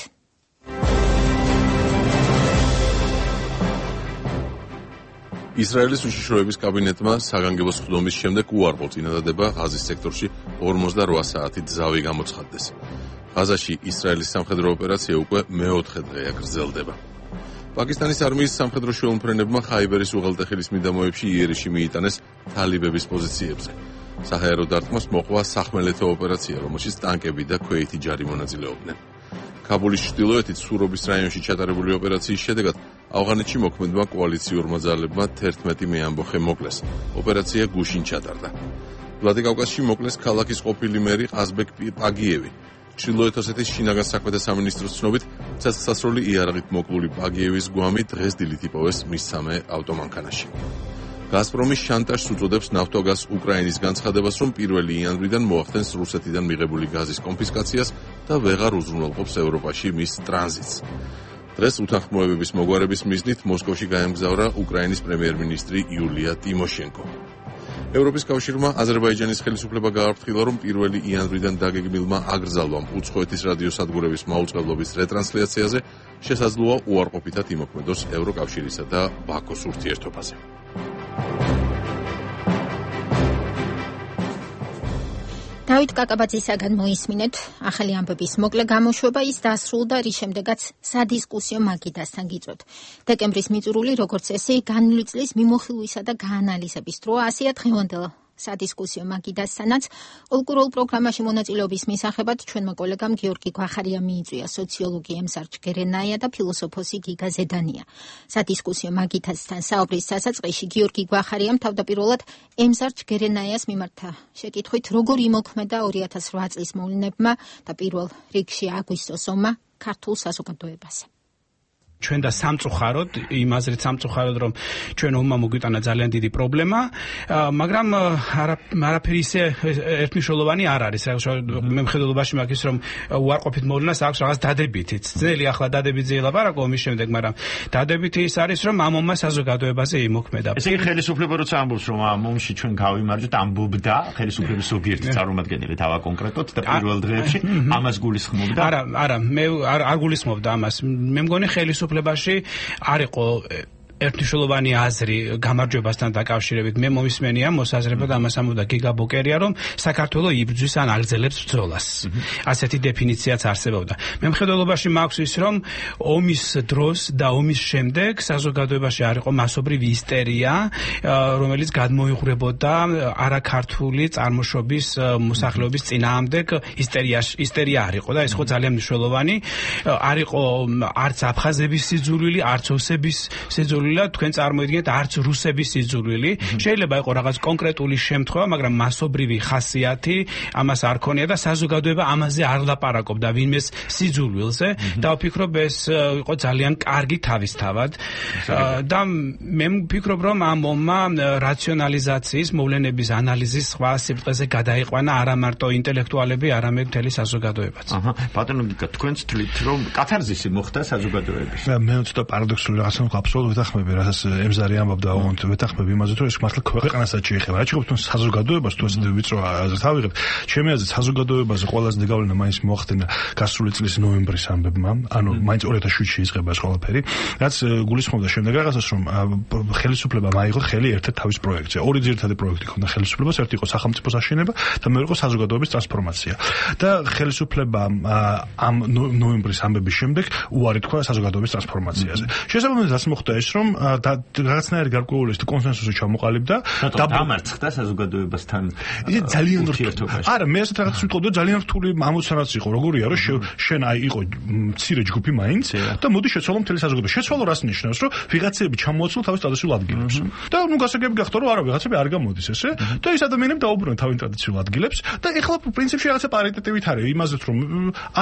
ისრაელის უშიშროების კაბინეტმა საგანგებო სხდომის შემდეგ უარყო წინადადება ღაზის სექტორში 48 საათით ზავი გამოცხადდეს. ღაზაში ისრაელის სამხედრო ოპერაცია უკვე მეოთხე დღეა გრძელდება. პაკისტანის არმიის სამხედრო შუალმფრენებმა ხაიბერის უღელტეხილის მიდამოებში იერიში მიიტანეს თალიბების პოზიციებზე. საჰაერო დარტყმას მოყვა სახმელეთო ოპერაცია, რომელშიც ტანკები და ქვეითი ჯარი მონაწილეობდნენ. ქაბულის ჩრდილოეთით სურობის რაიონში ჩატარებული ოპერაციის შედეგად ავღანეთში მოქმედმა კოალიციურმა ძალებმა 11 მეამბოხე მოკლეს. ოპერაცია გუშინ ჩატარდა. ვლადიკავკაზში მოკლეს ქალაქის ყოფილი მერი ყაზბეკ პაგიევი. ჩრდილოეთ ოსეთის შინაგან საქმეთა სამინისტროს ცნობით, ცეცხლსასროლი იარაღით მოკლული პაგიევის გვამი დღეს დილით იპოვეს მის სამე ავტომანქანაში. გაზპრომი შანტაჟს უწოდებს ნავთოგაზ უკრაინის განცხადებას, რომ 1 იანვრიდან მოახდენს რუსეთიდან მიღებული გაზის კონფისკაციას და ვეღარ უზრუნველყოფს ევროპაში მის ტრანზიტს. დღეს უთანხმოებების მოგვარების მიზნით მოსკოვში გაემგზავრა უკრაინის პრემიერ-მინისტრი იულია ტიმოშენკო. ევროპის კავშირმა აზერბაიჯანის ხელისუფლება გააფრთხილა, რომ 1 იანვრიდან დაგეგმილმა აკრძალვამ უცხოეთის რადიოსადგურების მაუწყებლობის რეტრანსლაციაზე შესაძლოა უარყოფითად იმოქმედოს ევროკავშირისა და ბაქოს ურთიერთობაზე. დავით კაკაბაძისაგან მოისმინეთ ახალი ამბების მოკლე გამოშვება. ის დასრულდა, რის შემდეგაც სადისკუსიო მაგიდასთან გიწვევთ. დეკემბრის მიწურული, როგორც წესი, განვლილი წლის მიმოხილვისა და გაანალიზების დროა, ასეა დღევანდელ სადისკუსიო მაგიდასთანაც. ოლკურულ პროგრამაში მონაწილეობის მისაღებად ჩვენმა კოლეგამ გიორგი გვახარია მიიწვია სოციოლოგი ემსარჯ გერენაია და ფილოსოფოსი გიგა ზედანია. სადისკუსიო მაგიდასთან საუბრის დასაწყისში გიორგი გვახარიამ თავდაპირველად ემსარჯ გერენაიას მიმართა შეკითხვით, როგორ იმოქმედა 2008 წლის მოვლენებმა და პირველ რიგში აგვისტოს ომმა ქართულ საზოგადოებაზე. ჩვენ და სამწუხაროდ, იმ აზრით სამწუხაროდ, რომ ჩვენ ომმა მოგვიტანა ძალიან დიდი პრობლემა, მაგრამ არაფერი ისე ერთმნიშვნელოვანი არ არის. მე მხედველობაში მაქვს ის, რომ უარყოფით მოვლენას აქვს რაღაც დადებითიც. ძნელი ახლა დადებითზე ელაპარაკო ომის შემდეგ, მაგრამ დადებითი ის არის, რომ ამ ომმა საზოგადოებაზე იმოქმედა. ესე იგი ხელისუფლება როცა ამბობს, რომ ამ ომში ჩვენ გავიმარჯვეთ, ამბობდა ხელისუფლების ზოგიერთი წარმომადგენელი თავა კონკრეტულად და პირველ დღეებში ამას გულისხმობდა? არა, მე არ გულისხმობდა ამას. მე მგონი ხელისუფლებაში არ იყო ერთმნიშვნელოვანი აზრი გამარჯვებასთან დაკავშირებით. მე მომისმენია მოსაზრება და ამას ამბობდა გიგა ბოკერია, რომ საქართველოს იბრძვის ან აგრძელებს ბრძოლას. ასეთი დეფინიციაც არსებობდა. მე მხედველობაში მაქვს ის, რომ ომის დროს და ომის შემდეგ საზოგადოებაში არ იყო მასობრივი ისტერია, რომელიც გადმოიღვრებოდა არაქართული წარმოშობის მოსახლეობის წინააღმდეგ ისტერია არ იყო და ეს ხო ძალიან მნიშვნელოვანი არ იყო არც აფხაზების სიძულვილი, არც ოსების სიძულვილი. სიძულვილა თქვენ წარმოიდგინეთ არც რუსების სიძულვილი. შეიძლება იყოს რაღაც კონკრეტული შემთხვევა, მაგრამ მასობრივი ხასიათი ამას არ ქონია და საზოგადოება ამაზე არ ლაპარაკობდა ვინმეს სიძულვილზე და ვფიქრობ ეს იყო ძალიან კარგი თავისთავად და მე ვფიქრობ რომ ამ ომმა რაციონალიზაციის მოვლენების ანალიზის სხვა სიბრტყეზე გადაიყვანა არა მარტო ინტელექტუალები, არამედ მთელი საზოგადოებაც. ბატონო გიგა, თქვენც თვლით რომ კათარზისი მოხდა საზოგადოების. მე ცოტა პარადოქსული რაღაცა აბსოლუტურად ვეთანხმები, რასაც ემზარი ამბობდა, ოღონდ ვეთანხმები იმაზე, რომ ეს მართლა ქვეყანასაც შეეხება. რა შეიძლება თქვენ საზოგადოებას თუ ესეთი ვიწრო აზრით ავიღებთ. ჩემი აზრით საზოგადოებაზე ყველაზე დეგავლენა მაინც მოახდინა გასული წლის ნოემბრის ამბებმა, ანუ მაინც 2007-ში იწყება ეს ყველაფერი, რაც გულისხმობდა შემდეგ რაღაცას, რომ ხელისუფლებამ აიღო ხელი ერთ-ერთ თავის პროექტზე. ორი ძირითადი პროექტი ჰქონდა ხელისუფლებას, ერთი იყო სახელმწიფოს აშენება და მეორე იყო საზოგადოების ტრანსფორმაცია. და ხელისუფლებამ ამ ნოემბრის ამბების შემდეგ უარი თქვა საზოგადოების ტრანსფორმაციაზე. შესაბამისად რაც მოხდა ის, რომ რაღაცნაირი გარკვეული კონსენსუსი ჩამოყალიბდა და დამარცხდა საზოგადოებასთან. ის ძალიან არა, მე ასეთ რაღაცას ვიტყოდი, ძალიან რთული ამოცანაც იყო, როგორია, რომ შენ აი იყო მცირე ჯგუფი მაინც და მოდი შეცვალო მთელი საზოგადოება. შეცვალო რას ნიშნავს, რომ ვიღაცები ჩამოაცვლო თავის ტრადიციულ ადგილებს. და ნუ გასაგები გახდა, რომ არა ვიღაცები არ გამოდის ესე და ეს ადამიანები დაუბრუნდნენ თავის ტრადიციულ ადგილებს და ეხლა პრინციპში რაღაცა პარიტეტივით არის იმაზეც, რომ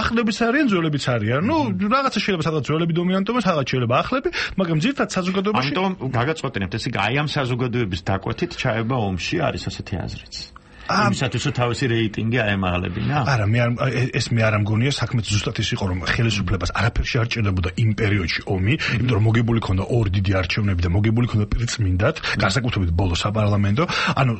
ახლებიც არიან, ძველებიც არიან. ნუ რაღაცა შეიძლება სადღაც ძველები დომინანტობენ, სადღაც შეიძლება ახლები, მაგრამ ძირითადად საზოგადოებაში ამიტომ გაგაწყვეტინებთ, ესე იგი აი ამ საზოგადოების დაკვეთით ჩაება ომში არის ასეთი აზრიც. იმისათვის რომ თავისი რეიტინგი აემაღლებინა? არა, მე არ ამგონია, საქმე ზუსტად ის იყო, რომ ხელისუფლებას არაფერში არ ჭირდებოდა იმ პერიოდში ომი, იმიტომ რომ მოგებული ქონდა ორი დიდი არჩევნები და მოგებული ქონდა პირწმინდად, განსაკუთრებით ბოლო საპარლამენტო. ანუ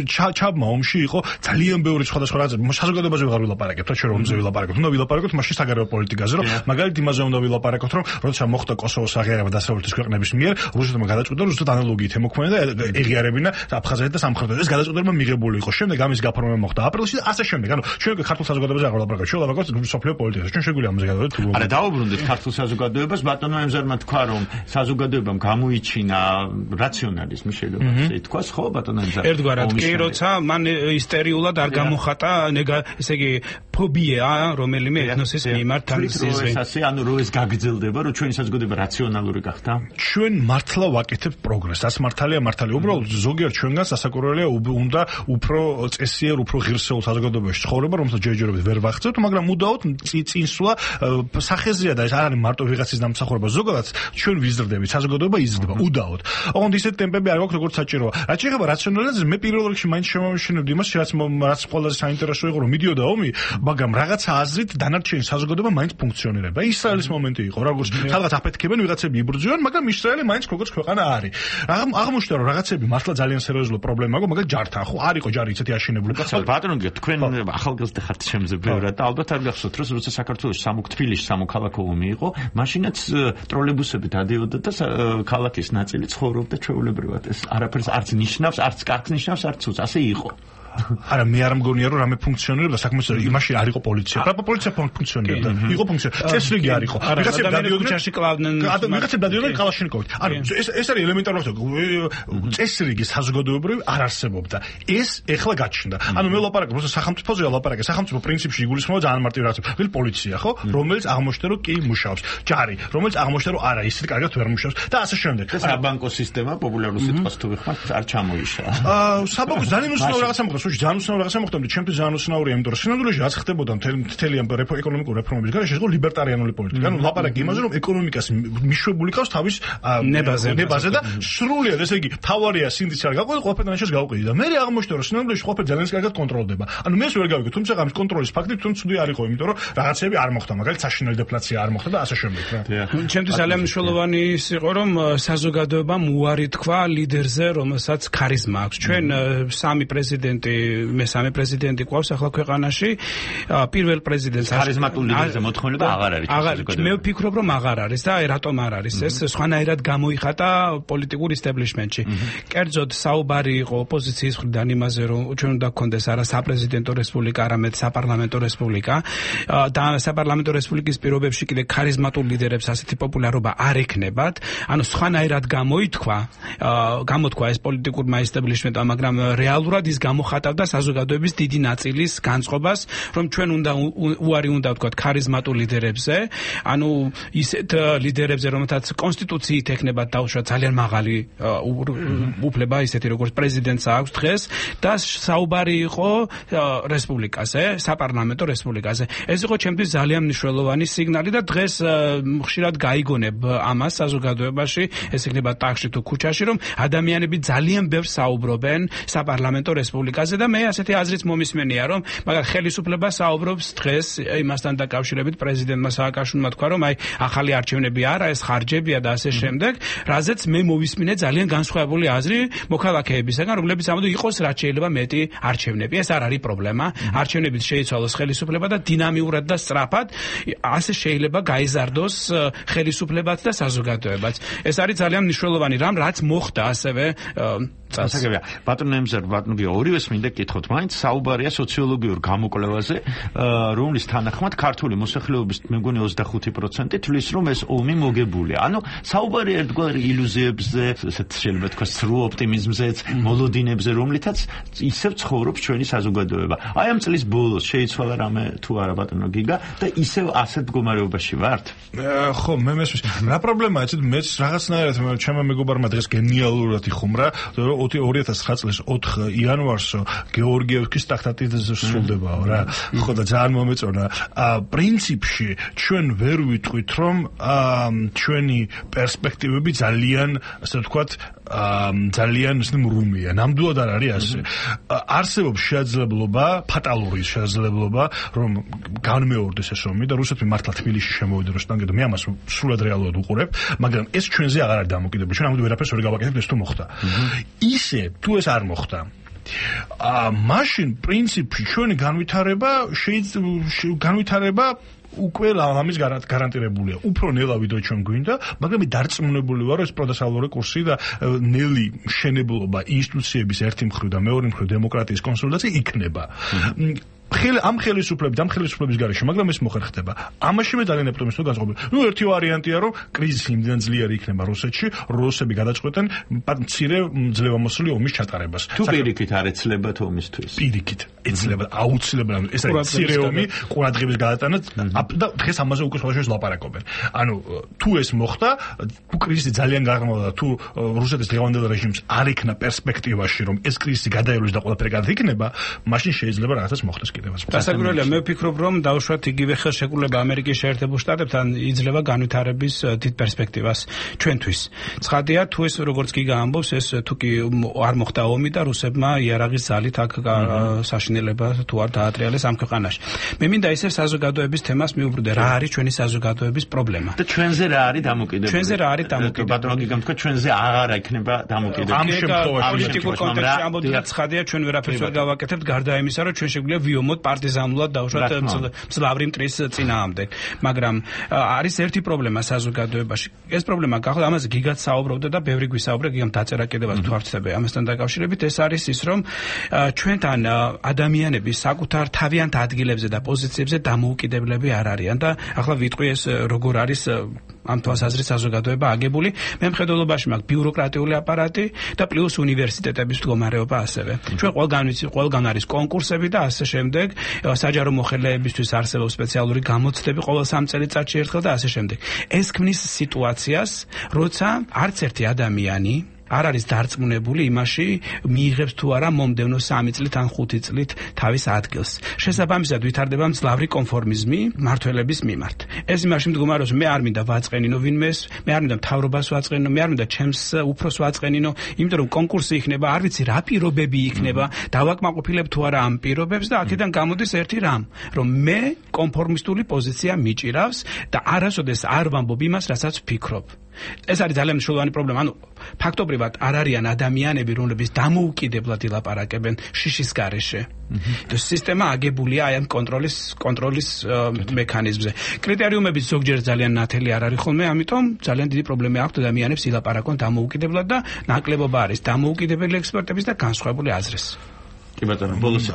ჩაბმა ომში იყო ძალიან ბევრი სხვადასხვა რაღაც, საზოგადოებაზე ვეღარ ვილაპარაკებთ, რა რომ ომზე ვილაპარაკებთ, უნდა ვილაპარაკოთ მაშინ საგარეო პოლიტიკაზე, რომ მაგალითად იმაზე უნდა ვილაპარაკოთ, რომ როცა მოხდა კოსოვოს აღიარება დასავლეთის ქვეყნების მიერ, რუსეთმა გადაწყვიტა, რომ ზუსტად ანალოგიით ემოქმედა და ეღიარებინა აფხაზეთი და სამხრეთი. ეს გადაწყვეტილება მიღებული იყო. შემდეგ ამის გაფორმება მოხდა აპრილში და ასე შემდეგ. ანუ ჩვენ ქართულ საზოგადოებაზე აღარ ვლაპარაკობთ, ჩვენ ვლაპარაკობთ სოფლიო პოლიტიკაზე. ჩვენ შეგვიძლია ამაზე გადავიდეთ. არა, დაუბრუნდეთ ქართულ საზოგადოებას, ბატონო ემზარმა თქვა, რომ საზოგადოებამ გამოიჩინა რაციონალიზმი, შეიძლება ასე ითქვას, ხო, ბატონო ემზარ? ერთგვარად კი, როცა მან ისტერიულად არ გამოხატა, ესე იგი ფობია, რომელიმე ეთნოსის მიმართ ანტისემიტიზმი. ასე, ანუ რო ეს გაგრძელდება, რომ ჩვენი საზოგადოება რაციონალური გახდა? ჩვენ მართლა ვაკეთებთ პროგრესს. ას მართალია, უბრალოდ ზოგიერთ ჩვენგანს ასაკურველია უნდა უფრო წესიერ, უფრო ღირსეულ საზოგადოებაში ცხოვრება, რომელსაც ჯერჯერობით ვერ ვახცევთ, მაგრამ მუდაოდ წინსვლა სახეზეა და ეს არ არის მარტო ვიღაცის დამსახურება. ზოგადად ჩვენ ვიზრდებით, საზოგადოება იზრდება უდაოდ. ოღონდ ისეთი ტემპები არ გვაქვს, როგორც საჭიროა. რაც შეეხება რაციონალიზმს, მე პირველ რიგში მაინც შემოვშინებდი იმას, რაც ყველაზე საინტერესო იყო, რომ მიდიოდა ომი, მაგრამ რაღაცა აზრით დანარჩენი საზოგადოება მაინც ფუნქციონირება. ისრაელის მომენტი იყო, როგორც სადღაც აფეთქებენ, ვიღაცები იბრძვიან, მაგრამ ისრაელი მაინც როგორც ქვეყანა არის. აღმოჩნდა, რომ რაღაცები მართლა ძალიან სერიოზული პრობლემა აქვს, მაგრამ ჯართან ხო არ იყო ჯარი ისეთი აშენებული. ბატონო, თქვენ ახალგაზრდა ხართ ჩემზე ბევრად და ალბათ არ გახსოვთ, რომ როცა საქართველოს თბილისში სამოქალაქო ომი იყო, მაშინაც ტროლეიბუსები დადიოდა და ქალაქის ნაწილი ცხოვრობდა ჩვეულებრივად. ეს არაფერს არც ნიშნავს, არც კარგს ნიშნავს, არც ცუდს, ასე იყო. არა, მე არ მგონია, რომ რამე ფუნქციონირებდა საქმე, იმაში არ იყო პოლიცია. პოლიცია ფუნქციონირებდა. იყო ფუნქციონირებდა. წესრიგი არ იყო. ვიღაცები დადიოდნენ ჩაში კლავდნენ. ვიღაცები დადიოდნენ კალაშნიკოვით. ანუ ეს არის ელემენტარული ფაქტორი. წესრიგი საზოგადოებრივი არ არსებობდა. ეს ეხლა გაჩნდა. ანუ მე ვლაპარაკობ, როცა სახელმწიფოზე ვლაპარაკე, სახელმწიფო პრინციპში იგულისხმება ძალიან მარტივ რაღაცებს. ვიღ პოლიცია, ხო? რომელიც აღმოჩნდა, რომ კი მუშაობს. ჯარი, რომელიც აღმოჩნდა, რომ არა, ისეთი კარგად ვერ მუშაობს და ასე შემდეგ. საბანკო სისტემა, პოპულარული სიტყვას თუ ვიხმართ, არ ჩამოიშალა. საბანკო ძალიან უცნაური რაღაცა მოხდა. ძალიან უცნაური რაღაცა მოხდა, ჩემთვის ძალიან უცნაურია, იმიტომ რომ სინამდვილეში რაც ხდებოდა მთელი ამ ეკონომიკური რეფორმების გარეშე, ეს იყო ლიბერტარიანული პოლიტიკა. ანუ ლაპარაკი იმაზე, რომ ეკონომიკას მიშვებული ყავს თავის ნებაზე და სრულიად, ესე იგი, თავარია სინდიც არ გაყვეთ, ყველაფერთან ერთად გავყიდი და მე აღმოჩნდა, რომ სინამდვილეში ყველაფერი ძალიან კარგად კონტროლდება. ანუ მე ვერ გავიგე, თუმცა ამის კონტროლის ფაქტი თვითონ ცუდი არ იყო, იმიტომ რომ რაღაცები არ მოხდა, მაგალითად საშინელი დეფლაცია არ მოხდა და ასე შემდეგ. ჩემთვის ძალიან მნიშვნელოვანი ის იყო, რომ საზოგადოებამ უარი თქვა ლიდერზე, რომელსაც ქარიზმა აქვს. ჩვენ სამი პრეზიდენტი მესამე პრეზიდენტი ყავს ახლა ქვეყანაში. პირველ პრეზიდენტს ქარიზმატული ლიდერზე მოთხოვნება აღარ არის. მე ვფიქრობ, რომ აღარ არის და რატომ არ არის ეს? სხვანაირად გამოიხატა პოლიტიკურ ისტაბლიშმენტში. კერძოდ საუბარი იყო ოპოზიციის მხრიდან იმაზე, რომ ჩვენ უნდა გქონდეს არა საპრეზიდენტო რესპუბლიკა, არამედ საპარლამენტო რესპუბლიკა და საპარლამენტო რესპუბლიკის პირობებში კიდე ქარიზმატულ ლიდერებს ასეთი პოპულარობა არ ექნებათ. ანუ სხვანაირად გამოთქვა ეს პოლიტიკურმა ისტაბლიშმენტმა, მაგრამ რეალურად ის გამოხატა ემატავდა საზოგადოების დიდი ნაწილის განწყობას, რომ ჩვენ უარი უნდა ვთქვათ ქარიზმატულ ლიდერებზე, ანუ ისეთ ლიდერებზე, რომელთაც კონსტიტუციით ექნება დაუშვა ძალიან მაღალი უფლება, ისეთი როგორც პრეზიდენტს აქვს დღეს და საუბარი იყო რესპუბლიკაზე, საპარლამენტო რესპუბლიკაზე. ეს იყო ჩემთვის ძალიან მნიშვნელოვანი სიგნალი და დღეს ხშირად გაიგონებ ამას საზოგადოებაში, ეს იქნება ტახში თუ ქუჩაში, რომ ადამიანები ძალიან ბევრს საუბრობენ საპარლამენტო რესპუბლიკაზე და მე ასეთი აზრიც მომისმენია, რომ მაგალითად ხელისუფლება საუბრობს დღეს იმასთან დაკავშირებით პრეზიდენტმა სააკაშვილმა თქვა, რომ აი ახალი არჩევნები არა, ეს ხარჯებია და ასე შემდეგ, რაზეც მე მოვისმინე ძალიან განსხვავებული აზრი მოქალაქეებისგან, რომლებიც ამბობენ იყოს რაც შეიძლება მეტი არჩევნები. ეს არ არის პრობლემა. არჩევნებით შეიცვალოს ხელისუფლება და დინამიურად და სწრაფად ასე შეიძლება გაიზარდოს ხელისუფლებაც და საზოგადოებაც. ეს არის ძალიან მნიშვნელოვანი რამ, რაც მოხდა ასევე ასაგებია. ბატონო ემზარ, ბატონო გიო, ორივეს მინდა გითხოთ, მაინც საუბარია სოციოლოგიურ გამოკვლევაზე, რომლის თანახმად ქართული მოსახლეობის მე მგონი 25% თვლის, რომ ეს ომი მოგებულია. ანუ საუბარია ერთგვარი ილუზიებზე, ესეთ შეიძლება თქვა სრულ ოპტიმიზმზეც, მოლოდინებზე, რომლითაც ისევ ცხოვრობს ჩვენი საზოგადოება. აი ამ წლის ბოლოს შეიცვალა რამე თუ არა ბატონო გიგა და ისევ ასეთ მდგომარეობაში ვართ? ხო, მე მესმის. რა პრობლემაა, იცით, მეც რაღაცნაირად ჩემმა მეგობარმა დღეს გენიალურად იხუმრა, რომ 2009 წლის 4 იანვარსო გეორგიევსკის ტრაქტატი სრულდებაო რა. ხო და ძალიან მომეწონა. პრინციპში ჩვენ ვერ ვიტყვით, რომ ჩვენი პერსპექტივები ძალიან, ასე ვთქვათ, ძალიან მრუმია. ნამდვილად არ არის ასე. არსებობს შესაძლებლობა, ფატალური შესაძლებლობა, რომ განმეორდეს ეს ომი და რუსეთმა მართლა თბილისში შემოვიდეს და მე ამას სრულად რეალურად უყურებ, მაგრამ ეს ჩვენზე აღარ არის დამოკიდებული. ჩვენ ამიტომ ვერაფერს ვერ გავაკეთებთ ეს თუ მოხდა. ისე თუ ეს არ მოხდა, მაშინ პრინციპში ჩვენი განვითარება უკვე ამის გარანტირებულია. უფრო ნელა ვიდრე ჩვენ გვინდა, მაგრამ მე დარწმუნებული ვარ, რომ ეს პროდასალური კურსი და ნელი მშენებლობა ინსტიტუციების ერთი მხრივ და მეორე მხრივ დემოკრატიის კონსოლიდაცია იქნება. ამ ხელისუფლების გარეშე, მაგრამ ეს მოხერხდება. ამაში მე ძალიან ოპტიმისტური განწყობილი. ერთი ვარიანტია, რომ კრიზისი იმდენ ძლიერი იქნება რუსეთში, რუსები გადაწყვეტენ მცირე ძლევამოსილი ომის ჩატარებას. თუ პირიქით არ ეცლებათ ომისთვის? პირიქით ეცლებათ, აუცილებლად. ეს არის მცირე ომი, ყურადღების გადატანა და დღეს ამაზე უკვე სხვადასხვა ლაპარაკობენ. ანუ თუ ეს მოხდა, თუ კრიზისი ძალიან გაღრმავდა, თუ რუსეთის დღევანდელ რეჟიმს არ ექნა პერსპექტივაში, რომ ეს კრიზისი გადაივლოს და ყველაფერი გადაიქნება, მაშინ შეიძლება რაღაცას მოხდეს. დასაკვირველია, მე ვფიქრობ, რომ დავუშვათ იგივე ხელშეკრულება ამერიკის შეერთებულ შტატებთან იძლევა განვითარების დიდ პერსპექტივას ჩვენთვის. ცხადია, თუ ეს როგორც კი გაამბობს, ეს თუ კი არ მოხდა ომი და რუსებმა იარაღის ძალით აქ საშინელება თუ არ დაატრიალეს ამ ქვეყანაში. მე მინდა ისევ საზოგადოების თემას მიუბრუნდე, რა არის ჩვენი საზოგადოების პრობლემა. და ჩვენზე რა არის დამოკიდებული? ჩვენზე რა არის დამოკიდებული? ბატონო გიგამ თქვა, ჩვენზე აღარ იქნება დამოკიდებული. ამ შემთხვევაში პოლიტიკურ კონტექსტში ამბობთ, ცხადია, ჩვენ ვერაფერს ვერ გავაკეთებთ, გარდა იმისა, რომ ჩვენ შეგვიძლია ვიომოთ პარტიზანულად დავუშვათ მძლავრი მტრის წინააღმდეგ. მაგრამ არის ერთი პრობლემა საზოგადოებაში. ეს პრობლემა გახდა, ამაზე გიგაც საუბრობდა და ბევრი გვისაუბრა, გიგამ დაწერა კიდევაც თუ არ ვცდები ამასთან დაკავშირებით, ეს არის ის, რომ ჩვენთან ადამიანები საკუთარ თავიანთ ადგილებზე და პოზიციებზე დამოუკიდებლები არ არიან და ახლა ვიტყვი ეს როგორ არის ამ თვალსაზრისით საზოგადოება აგებული. მე მხედველობაში მაქვს ბიუროკრატიული აპარატი და პლუს უნივერსიტეტების მდგომარეობა ასევე. ჩვენ ყველგან არის კონკურსები და ასე შემდეგ. საჯარო მოხელეებისთვის არსებობს სპეციალური გამოცდები ყოველ 3 წელიწადში ერთხელ და ასე შემდეგ. ეს ქმნის სიტუაციას, როცა არც ერთი ადამიანი არ არის დარწმუნებული იმაში, მიიღებს თუ არა მომდევნო 3 წლით ან 5 წლით თავის ადგილს. შესაბამისად ვითარდება მძლავრი კონფორმიზმი მართველების მიმართ. ეს იმაში მდგომარეობს, მე არ მინდა ვაწყენინო ვინმეს, მე არ მინდა მთავრობას ვაწყენინო, მე არ მინდა ჩემს უფროს ვაწყენინო, იმიტომ რომ კონკურსი იქნება, არ ვიცი რა პირობები იქნება, დავაკმაყოფილებ თუ არა ამ პირობებს და აქედან გამოდის ერთი რამ, რომ მე კონფორმისტული პოზიცია მიჭირავს და არასოდეს არ ვამბობ იმას, რასაც ვფიქრობ. ეს არის ძალიან მნიშვნელოვანი პრობლემა. ანუ ფაქტობრივად არ არიან ადამიანები, რომლებიც დამოუკიდებლად ილაპარაკებენ შიშის გარეშე. სისტემა აგებულია აი ამ კონტროლის მექანიზმზე. კრიტერიუმები ზოგჯერ ძალიან ნათელი არ არის ხოლმე, ამიტომ ძალიან დიდი პრობლემა აქვს ადამიანებს ილაპარაკონ დამოუკიდებლად და ნაკლებობა არის დამოუკიდებელი ექსპერტების და განსხვავებული აზრის. კი ბატონო, ბოლოს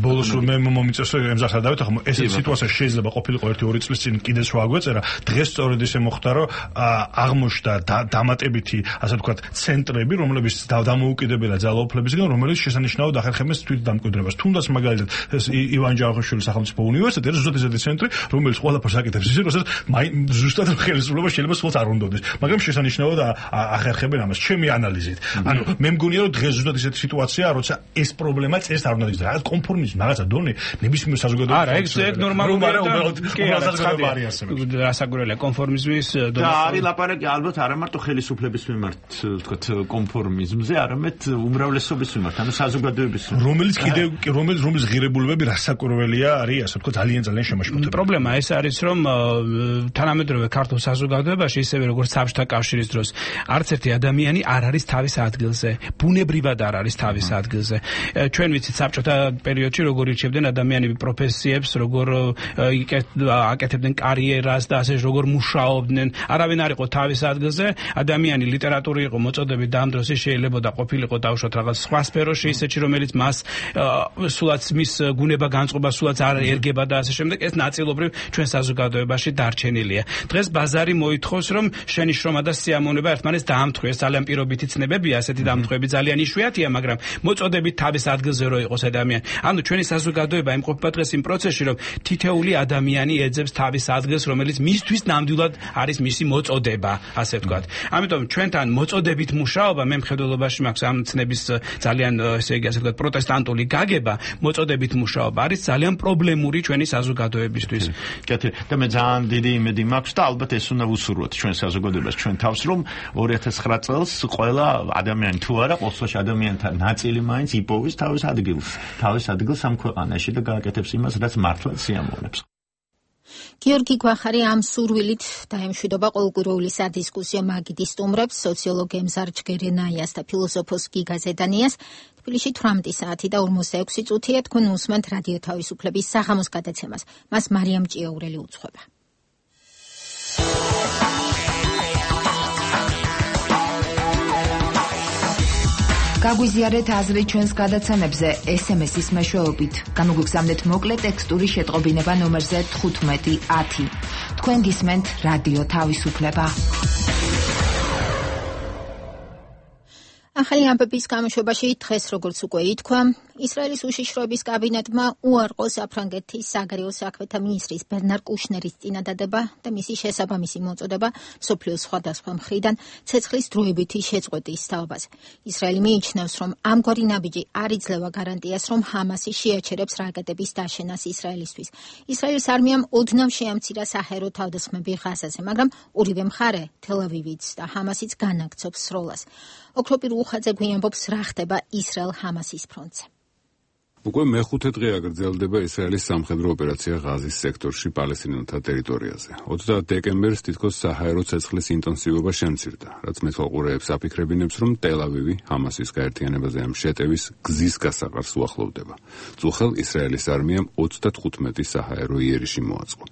ბოლოს მე მომიწევს ემზახსა დავით, ახლა ესეთი სიტუაცია შეიძლება ყოფილიყო 1-2 წლის წინ კიდეც რა აგვეწერა, დღეს სწორედ ისე მოხდა, რომ აღმოჩნდა დამატებითი, ასე ვთქვათ, ცენტრები, რომლებიც დამოუკიდებელ ძალაუფლებისგან, რომელიც შესანიშნავად ახერხებენ თვით დამკვიდრებას. თუნდაც მაგალითად ივან ჯავახიშვილის სახელმწიფო უნივერსიტეტი არის ზუსტად ესეთი ცენტრი, რომელიც ყველაფერს აკეთებს ისე, რომ ზუსტად ხელისუფლება შეიძლება სულაც არ უნდოდეს, მაგრამ შესანიშნავად ახერხებენ ამას. ჩემი ანალიზით. ანუ მე მგონია, რომ დღეს ზუსტად ესეთი სიტუაცია, როცა ეს პრობლემა ეს არ უნდა იყოს. რაღაც კონფორმიზმი, რაღაცა დონე, ნებისმიერ საზოგადოებაში. არა, ეგ ნორმალურია და საზოგადოება არ იარსებებს. რასაკვირველია კონფორმიზმის დონე. და არის ლაპარაკი ალბათ არა მარტო ხელისუფლების მიმართ, ვთქვათ, კონფორმიზმზე, არამედ უმრავლესობის მიმართ, ანუ საზოგადოების რომელიც კიდევ რომლის ღირებულებები რასაკვირველია არის, ასე ვთქვათ, ძალიან შემაშფოთებელი. პრობლემა ეს არის, რომ თანამედროვე ქართულ საზოგადოებაში, ისევე როგორც საბჭოთა კავშირის დროს, არც ერთი ადამიანი არ არის თავის ადგილზე, ბუნებრივად არ არის თავის ადგილზე. ჩვენ ვიცით საბჭოთა პერიოდში როგორ ირჩევდნენ ადამიანები პროფესიებს, როგორ აკეთებდნენ კარიერას და ასე როგორ მუშაობდნენ. არავინ არ იყო თავის ადგილზე. ადამიანი ლიტერატური იყო მოწოდებით და ამ დროს შეიძლება ყოფილიყო დაუშვათ რაღაც სხვა სფეროში, ისეთი რომელიც მას სულაც მის გუნება განწყობა სულაც არ ერგება და ასე შემდეგ. ეს ნაწილობრივ ჩვენ საზოგადოებაში დარჩენილია. დღეს ბაზარი მოითხოვს, რომ შენი შრომა და სიამოვნება ერთმანეთს დაამთხო. ეს ძალიან პირობითი ცნებებია, ასეთი დამთხოები ძალიან იშვიათია, მაგრამ მოწოდებით თავის ადგილზე რო იყოს ადამიანი. ანუ ჩვენი საზოგადოება იმყოფება დღეს იმ პროცესში, რომ თითეული ადამიანი ეძებს თავის ადგილს, რომელიც მისთვის ნამდვილად არის მისი მოწოდება, ასე ვთქვათ. ამიტომ ჩვენთან მოწოდებით მუშაობა, მე მხედველობაში მაქვს ამ ცნების ძალიან, ესე იგი, ასე ვთქვათ, პროტესტანტული გაგება, მოწოდებით მუშაობა არის ძალიან პრობლემური ჩვენი საზოგადოებისთვის. კეთილი. და მე ძალიან დიდი იმედი მაქვს და ალბათ ეს უნდა ვუსურვოთ ჩვენ საზოგადოებას, ჩვენ თავს, რომ 2009 წელს ყველა ადამიანი თუ არა, ყოველთვის ადამიანთა ნაწილი მაინც იპოვის თავის ადგილს ამ ქვეყანაში და გააკეთებს იმას, რაც მართლაც სიამოვნებს. გიორგი გვახარი ამ სურვილით დაემშვიდობა ყოველკვირეული სადისკუსიო მაგიდის სტუმრებს, სოციოლოგ ემზარ ჯგერენაიას და ფილოსოფოს გიგა ზედანიას. თბილისში 18 საათი და 46 წუთია. თქვენ უსმენთ რადიო თავისუფლების საღამოს გადაცემას. მას მარიამ ჭიაურელი უძღვება. გაგვიზიარეთ აზრი ჩვენს გადაცემებზე SMS-ის მეშვეობით. გამოგვიგზავნეთ მოკლე ტექსტური შეტყობინება ნომერზე 1510. თქვენ გისმენთ რადიო თავისუფლება. ახალი ამბების გამოშვებაში დღეს, როგორც უკვე ითქვა, ისრაელის უშიშროების კაბინეტმა უარყო საფრანგეთის საგარეო საქმეთა მინისტრის ბერნარ კუშნერის წინადადება და მისი შესაბამისი მოწოდება მსოფლიოს სხვადასხვა მხრიდან ცეცხლის დროებითი შეწყვეტის თაობაზე. ისრაელი მიიჩნევს, რომ ამგვარი ნაბიჯი არ იძლევა გარანტიას, რომ ჰამასი შეაჩერებს რაკეტების დაშენას ისრაელისთვის. ისრაელის არმიამ ოდნავ შეამცირა საჰაერო თავდასხმები ღაზაზე, მაგრამ ორივე მხარე, თელ-ავივიც და ჰამასიც განაგრძობს სროლას. ოქროპირ უხაძე გვიამბობს, რა ხდება ისრაელ-ჰამასის ფრონტზე. უკვე მეხუთე დღეა გრძელდება ისრაელის სამხედრო ოპერაცია ღაზის სექტორში პალესტინელთა ტერიტორიაზე. 30 დეკემბერს თითქოს საჰაერო ცეცხლის ინტენსივობა შემცირდა, რაც მეთვალყურეებს აფიქრებინებს, რომ ტელ-ავივი ჰამასის გაერთიანებაზე ამ შეტევის გზის გასაყარს უახლოვდება. წუხელ ისრაელის არმიამ 35 საჰაერო იერიში მოაწყო.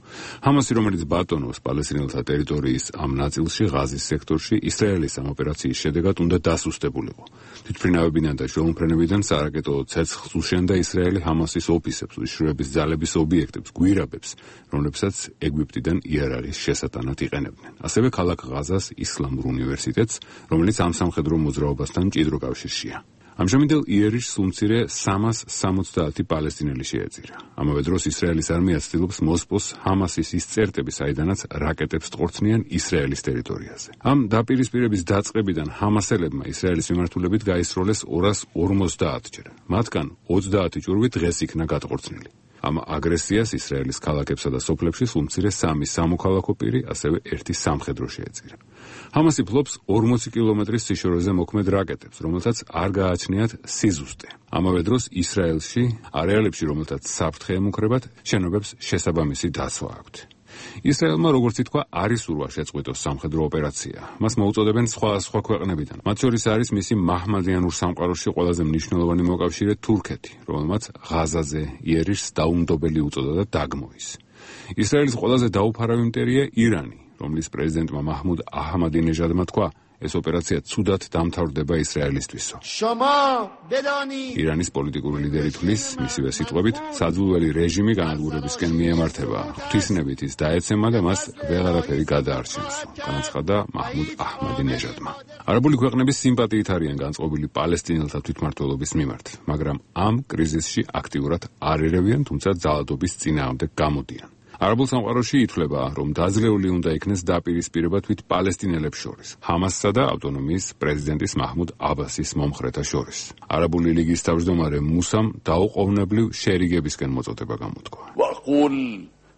ჰამასი, რომელიც ბატონობს პალესტინელთა ტერიტორიის ამ ნაწილში ღაზის სექტორში, ისრაელის ამ ოპერაციის შედეგად უნდა დასუსტებულიყო. თვითმფრინავებიდან და შუამფრენებიდან სარაკეტო ცეცხლს უშენდა ისრაელი ჰამასის ოფისებს, უშიშროების ძალების ობიექტებს, გვირაბებს, რომლებსაც ეგვიპტიდან იარარის შესატანად იყენებდნენ. ასევე ქალაქ ღაზას ისლამურ უნივერსიტეტს, რომელიც ამ სამხედრო მოძრაობასთან მჭიდრო კავშირშია. ამჟამინდელ იერიში სულ მცირე 370 პალესტინელი შეეწირა. ამავე დროს ისრაელის არმია ცდილობს მოსპოს ჰამასის ის წერტები, საიდანაც რაკეტებს ტყორცნიან ისრაელის ტერიტორიაზე. ამ დაპირისპირების დაწყებიდან ჰამასელებმა ისრაელის მიმართულებით გაისროლეს 250 ჯერ. მათგან 30 ჭურვი დღეს იქნა გატყორცნილი. ამ აგრესიას ისრაელის ქალაქებსა და სოფლებში სულ მცირე 3 სამოქალაქო პირი, ასევე 1 სამხედრო შეეწირა. ჰამასი ფლობს 40 კილომეტრის სიშორეზე მოქმედ რაკეტებს, რომელთაც არ გააჩნიათ სიზუსტე. ამავე დროს ისრაელში არეალებში, რომელთაც საფრთხე ემუქრებათ, შენობებს შესაბამისი დაცვა აქვთ. ისრაელმა, როგორც ითქვა, არ ისურვა შეწყვიტოს სამხედრო ოპერაცია. მას მოუწოდებენ სხვა ქვეყნებიდან. მათ შორის არის მისი მაჰმადიანურ სამყაროში ყველაზე მნიშვნელოვანი მოკავშირე თურქეთი, რომელმაც ღაზაზე იერიში დაუნდობელი უწოდა და დაგმოის. ისრაელის ყველაზე დაუფარავი იმპერია ირანი, რომლის პრეზიდენტმა მაჰმუდ აჰმადინეჟადმა თქვა, ეს ოპერაცია ცუდად დამთავრდება ისრაელისთვისო. ირანის პოლიტიკური ლიდერი თვლის, მისივე სიტყვებით, საძულველი რეჟიმი განადგურებისკენ მიემართება. ღვთისნებით ის დაეცემა და მას ვეღარაფერი გადაარჩენს, განაცხადა მაჰმუდ აჰმადინეჟადმა. არაბული ქვეყნების სიმპათიით არიან განწყობილი პალესტინელთა თვითმმართველობის მიმართ, მაგრამ ამ კრიზისში აქტიურად არ ერევიან, თუმცა ძალადობის წინააღმდეგ გამოდიან. არაბულ სამყაროში ითვლება, რომ დაძლეული უნდა იქნეს დაპირისპირება თვით პალესტინელებს შორის, ჰამასსა და ავტონომიის პრეზიდენტის მაჰმუდ აბასის მომხრეთა შორის. არაბული ლიგის თავმჯდომარე მუსამ დაუყოვნებლივ შერიგებისკენ მოწოდება გამოთქვა. وأقول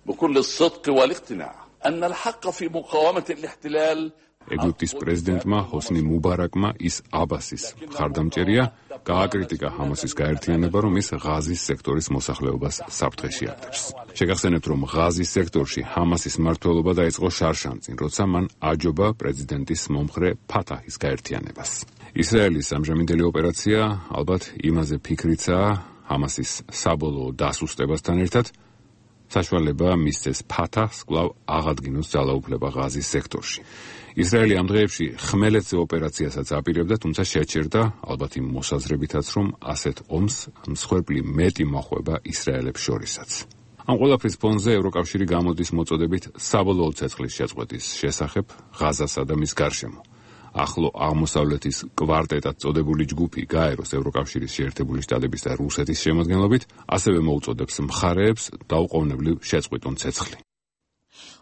بكل الصدق والاقتناع أن الحق في مقاومة الاحتلال ეგვიპტის პრეზიდენტმა ჰოსნი მუბარაკმა ის აბასის მხარდამჭერია, გააკრიტიკა ჰამასის გაერთიანება, რომ ის ღაზის სექტორის მოსახლეობას საფრთხეში აკეთებს. შეგახსენებთ, რომ ღაზის სექტორში ჰამასის მმართველობა დაიწყო შარშანწინ, როცა მან აჯობა პრეზიდენტის მომხრე ფათაჰის გაერთიანებას. ისრაელის ამჟამინდელი ოპერაცია ალბათ იმაზე ფიქრიცაა, ჰამასის საბოლოო დასუსტებასთან ერთად საშუალება მისცეს ფათაჰს კვლავ აღადგინოს ძალაუფლება ღაზის სექტორში. ისრაელი ამ დღეებში ხმელეთზე ოპერაციასაც აპირებდა, თუმცა შეჩერდა, ალბათ იმ მოსაზრებითაც, რომ ასეთ ომს მსხვერპლი მეტი მოხვება ისრაელებს შორისაც. ამ ყველაფრის ფონზე ევროკავშირი გამოდის მოწოდებით საბოლოო ცეცხლის შეწყვეტის შესახებ ღაზასა და მის გარშემო. ახლო აღმოსავლეთის კვარტეტად წოდებული ჯგუფი გაეროს ევროკავშირის შეერთებული შტატების და რუსეთის შემადგენლობით ასევე მოუწოდებს მხარეებს დაუყოვნებლივ შეწყვეტონ ცეცხლი.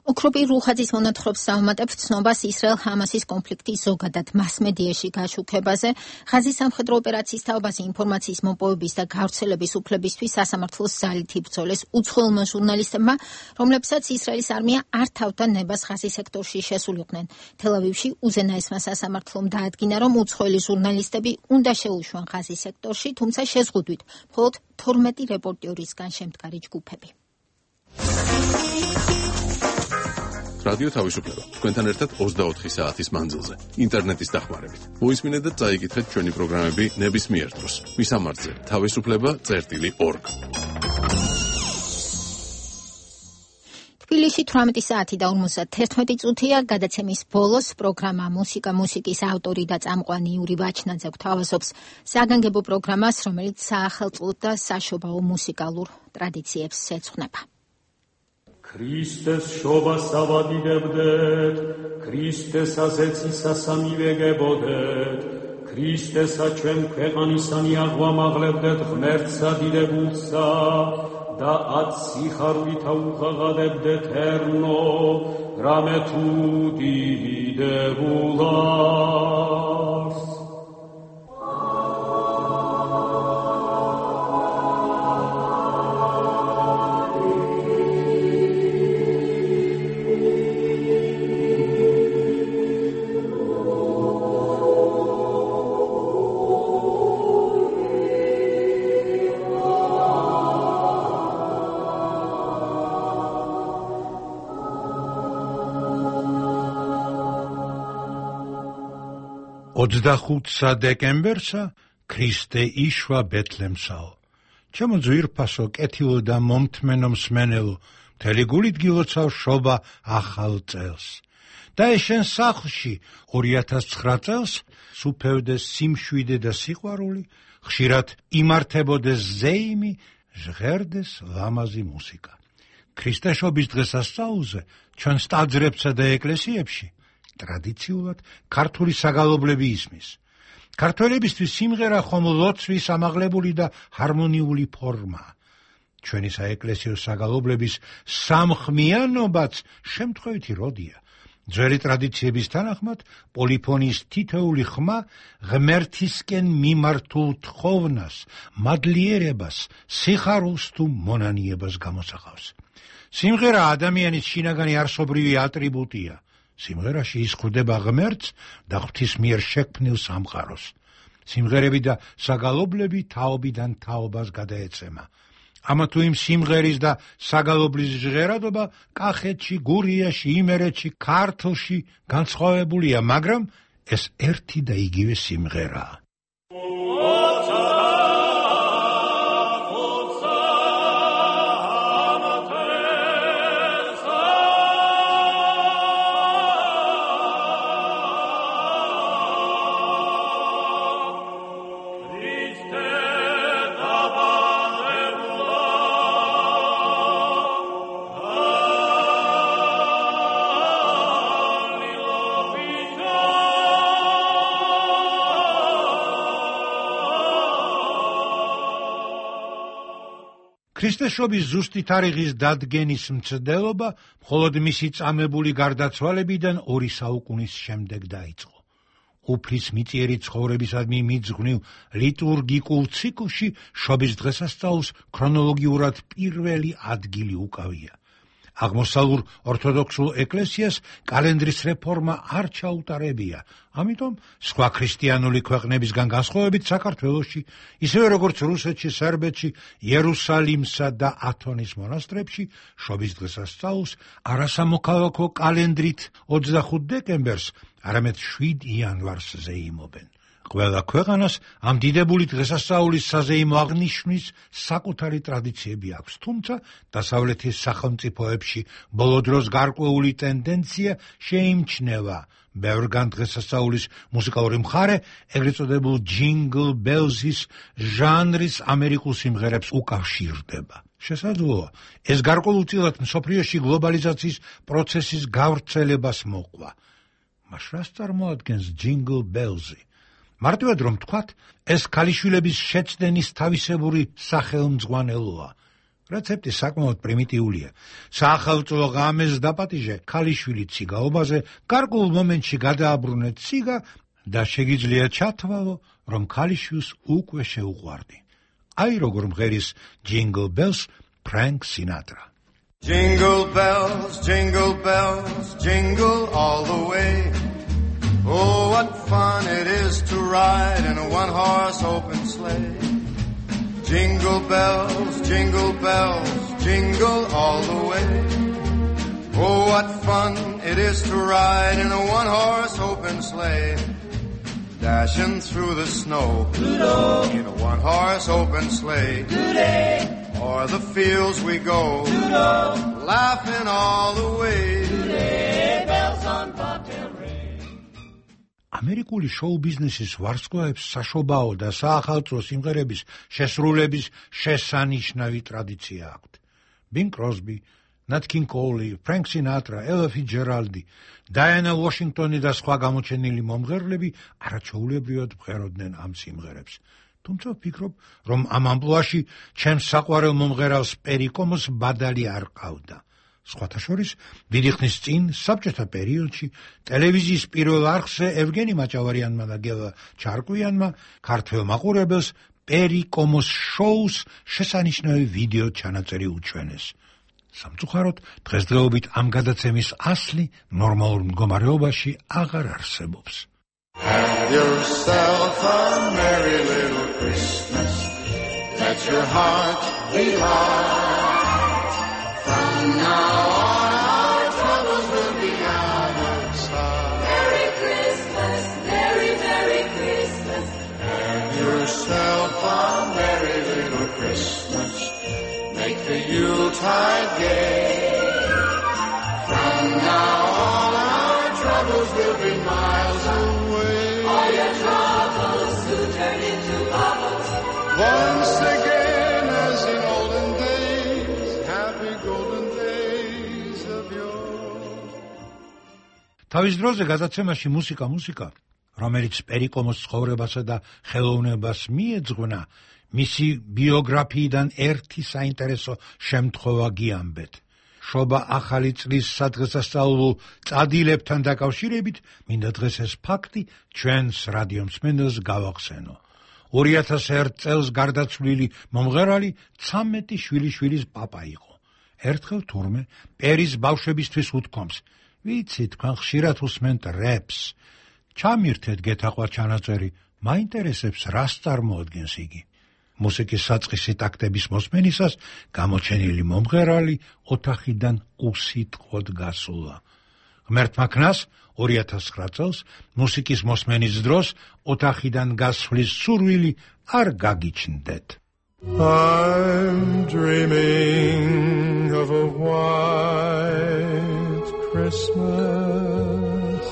ოქროპი რუხაძის მონათხრობს დავუმატებთ ცნობას ისრაელ-ჰამასის კონფლიქტის ზოგადად მასმედიაში გაშუქებაზე, ღაზის სამხედრო ოპერაციის თაობაზე ინფორმაციის მოპოვების და გავრცელების უფლებისთვის სასამართლოს ძალით იბრძოლეს უცხოელმა ჟურნალისტებმა, რომლებსაც ისრაელის არმია არ თავდა ნებას ღაზის სექტორში შესულიყვნენ. თელ-ავივში უზენაესმა სასამართლომ დაადგინა, რომ უცხოელი ჟურნალისტები უნდა შეუშვან ღაზის სექტორში, თუმცა შეზღუდვით მხოლოდ 12 რეპორტერისგან შემდგარი ჯგუფები. რადიო თავისუფლება. თქვენთან ერთად 24 საათის მანძილზე. ინტერნეტის დახმარებით. მოისმინეთ და წაიკითხეთ ჩვენი პროგრამები ნებისმიერ დროს. მისამართზე თავისუფლება.org. თბილისში 18 საათი და 51 წუთია. გადაცემის ბოლოს პროგრამა მუსიკის ავტორი და წამყვანი იური ვაჩნაძე გვთავაზობს საგანგებო პროგრამას, რომელიც საახალწლო და საშობაო მუსიკალურ ტრადიციებს ეძღვნება. ქრისტეს შობას ავადიდებდეთ, ქრისტესა ზეცისასა მივეგებოდეთ, ქრისტესა ჩვენ ქვეყანისანი აღვამაღლებდეთ ღმერთსა დიდებულსა და ათ სიხარულითა უღაღადებდეთ ერნო, რამე თუ დიდებულას. ოცდახუთსა დეკემბერსა ქრისტე იშვა ბეთლემსაო. ჩემო ძვირფასო, კეთილო და მომთმენო მსმენელო, მთელი გულით გილოცავ შობა ახალ წელს. და ეს შენ სახლში 2009 წელს სუფევდეს სიმშვიდე და სიყვარული, ხშირად იმართებოდეს ზეიმი, ჟღერდეს ლამაზი მუსიკა. ქრისტეშობის დღესასწაულზე ჩვენს ტაძრებსა და ეკლესიებში ტრადიციულად ქართული საგალობლები ისმის. ქართველებისთვის სიმღერა ხომ ლოცვის ამაღლებული და ჰარმონიული ფორმაა. ჩვენი საეკლესიო საგალობლების სამხმიანობაც შემთხვევითი როდია. ძველი ტრადიციების თანახმად პოლიფონის თითოეული ხმა ღმერთისკენ მიმართულ თხოვნას, მადლიერებას, სიხარულს თუ მონანიებას გამოსახავს. სიმღერა ადამიანის შინაგანი არსობრივი ატრიბუტია. სიმღერაში ის ხვდება ღმერთს და ღვთის მიერ შექმნილ სამყაროს. სიმღერები და საგალობლები თაობიდან თაობას გადაეცემა. ამა თუ იმ სიმღერის და საგალობლის ჟღერადობა კახეთში, გურიაში, იმერეთში, ქართლში განსხვავებულია, მაგრამ ეს ერთი და იგივე სიმღერაა. ქრისტესობის ზუსტი თარიღის დადგენის მცდელობა მხოლოდ მისი წამებული გარდაცვალებიდან 2 საუკუნის შემდეგ დაიწყო. უფლის მიწიერი ცხოვრებისადმი მიძღვნილ ლიტურგიკულ ციკლში შობის დღესასწაულს ქრონოლოგიურად პირველი ადგილი უკავია. აღმოსავლურ ორთოდოქსულ ეკლესიას კალენდრის რეფორმა არ ჩაუტარებია, ამიტომ სხვა ქრისტიანული ქვეყნებისგან განსხვავებით საქართველოში, ისევე როგორც რუსეთში, სერბეთში, იერუსალიმსა და ათონის მონასტრებში შობის დღესასწაულს არასამოქალაქო კალენდრით 25 დეკემბერს, არამედ 7 იანვარს ზეიმობენ. ყველა ქვეყანას ამ დიდებული დღესასწაულის საზეიმო აღნიშვნის საკუთარი ტრადიციები აქვს, თუმცა დასავლეთის სახელმწიფოებში ბოლო დროს გარკვეული ტენდენცია შეიმჩნევა. ბევრგან დღესასწაულის მუსიკალური მხარე, ეგრეთ წოდებულ ჯინგლ ბელზის ჟანრის ამერიკულ სიმღერებს უკავშირდება. შესაძლოა, ეს გარკვეულწილად მსოფლიოში გლობალიზაციის პროცესის გავრცელებას მოყვა. მას რას წარმოადგენს ჯინგლ ბელზი? მარტივად რომ თქვათ, ეს ქალიშვილების შეცდენის თავისებური სახელმძღვანელოა. რეცეპტი საკმაოდ პრიმიტიულია. საახალწლო ღამეს დაპატიჟე ქალიშვილი ციგაობაზე, გარკვეულ მომენტში გადააბრუნე ციგა და შეგიძლია ჩათვალო, რომ ქალიშვილს უკვე შეუყვარდი. აი როგორ მღერის Jingle Bells Frank Sinatra. Jingle bells, jingle all the way. Oh, what fun it is to ride in a one-horse open sleigh. Jingle bells, jingle all the way. Oh, what fun it is to ride in a one-horse open sleigh. Dashing through the snow in a one-horse open sleigh. O'er the fields we go, laughing all the way. Bells on bobtail ring. ამერიკული შოუ ბიზნესის ვარსკვლავებს საშობაო და საახალწლო სიმღერების შესრულების შესანიშნავი ტრადიცია აქვთ. ბინ კროსბი, ნათ კინგ კოული, ფრენკ სინატრა, ელა ფიცჯერალდი, დაიანა ვაშინგტონი და სხვა გამოჩენილი მომღერლები არაჩვეულებრივად მღეროდნენ ამ სიმღერებს. თუმცა ვფიქრობ, რომ ამ ამპლუაში ჩემს საყვარელ მომღერალს პერიკომოს ბადალი არ ყავდა. სხვათა შორის, დიდი ხნის წინ, საბჭოთა პერიოდში, ტელევიზიის პირველ არხზე ევგენი მაჭავარიანმა და გელა ჩარკვიანმა ქართველ მაყურებელს პერიკომოს შოუს შესანიშნავი ვიდეო ჩანაწერი უჩვენეს. სამწუხაროდ, დღესდღეობით ამ გადაცემის ასლი ნორმალურ მდგომარეობაში აღარ არსებობს. Have yourself a merry little Christmas. Let your heart be light. From now on our troubles will be out of sight. Merry Christmas, Merry Christmas. Have yourself a merry little Christmas. Make the Yuletide gay. From now on our troubles will be miles away. All your troubles will turn into bubbles. Once again as in olden days, happy golden days of yore. თავის დროზე გადაცემაში მუსიკა, რომელიც პერიკომოს ცხოვრებასა და ხელოვნებას მიეძღვნა, მისი ბიოგრაფიიდან ერთი საინტერესო შემთხვევა გიამბეთ. შობა ახალი წლის სადღესასწაულო წადილებთან დაკავშირებით, მინდა დღეს ეს ფაქტი ჩვენს რადიო მსმენელს გავახსენო. 2001 წელს გარდაცვლილი მომღერალი 13 შვილიშვილის პაპა იყო. ერთხელ თურმე პერის ბავშვებისთვის უთქვამს: ვიცი, თქვენ ხშირად უსმენთ რეპს. ჩამირთეთ გეთაყვა ჩანაწერი, მაინტერესებს რას წარმოადგენს იგი. მუსიკის საწყისი ტაქტების მოსმენისას გამოჩენილი მომღერალი ოთახიდან უსიტყვოდ გასულა. ღმერთმა ქნას 2009 წელს მუსიკის მოსმენის დროს ოთახიდან გასვლის სურვილი არ გაგიჩნდეთ. I'm dreaming of a white Christmas,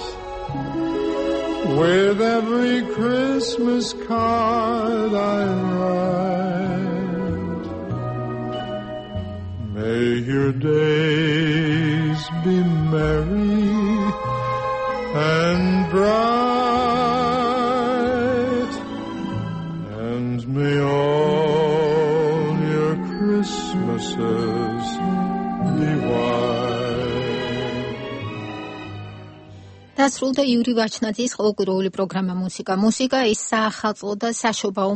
with every Christmas card I write. May your days be merry and bright, and may all your Christmas დასრულდა იური ვაჩნაძის ყოველკვირეული პროგრამა მუსიკა ის საახალწლო და საშობაო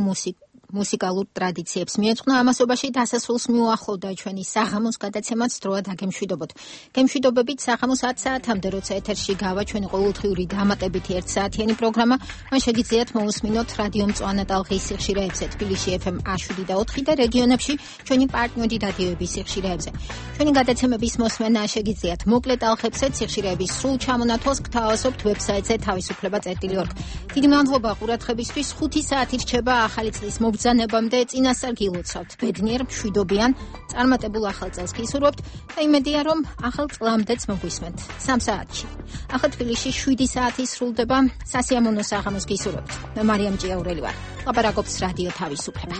მუსიკალურ ტრადიციებს მიეძღვნა. ამასობაში დასასრულს მიუახლოვდა ჩვენი საღამოს გადაცემაც დროა დაგემშვიდობოთ. გემშვიდობებით საღამოს 10 საათამდე, როცა ეთერში გავა ჩვენი ყოველდღიური დამატებითი 1 საათიანი პროგრამა, მან შეგიძლიათ მოусმინოთ რადიო მწვანე ტალღის სიხშირეებზე თბილისში FM 107 და 4 და რეგიონებში ჩვენი პარტნიორი რადიოების სიხშირეებზე. ჩვენი გადაცემების მოსმენა შეგიძლიათ მოკლე ტალღებზე სიხშირეების სრულ ჩამონათვალს გთავაზობთ ვებსაიტზე თავისუფლება.org. დიდი მადლობა ყურადღებისთვის. 5 საათი რჩება ახალი წლის ბრძანებამდე წინასწარ გილოცავთ. ბედნიერ, მშვიდობიან, წარმატებულ ახალ წელს გისურვებთ და იმედია, რომ ახალ წლამდეც მოგვისმენთ. 3 საათში. ახლა თბილისში 7 საათი სრულდება. სასიამოვნო საღამოს გისურვებთ. მე მარიამ ჭიაურელი ვარ. ლაპარაკობს რადიო თავისუფლება.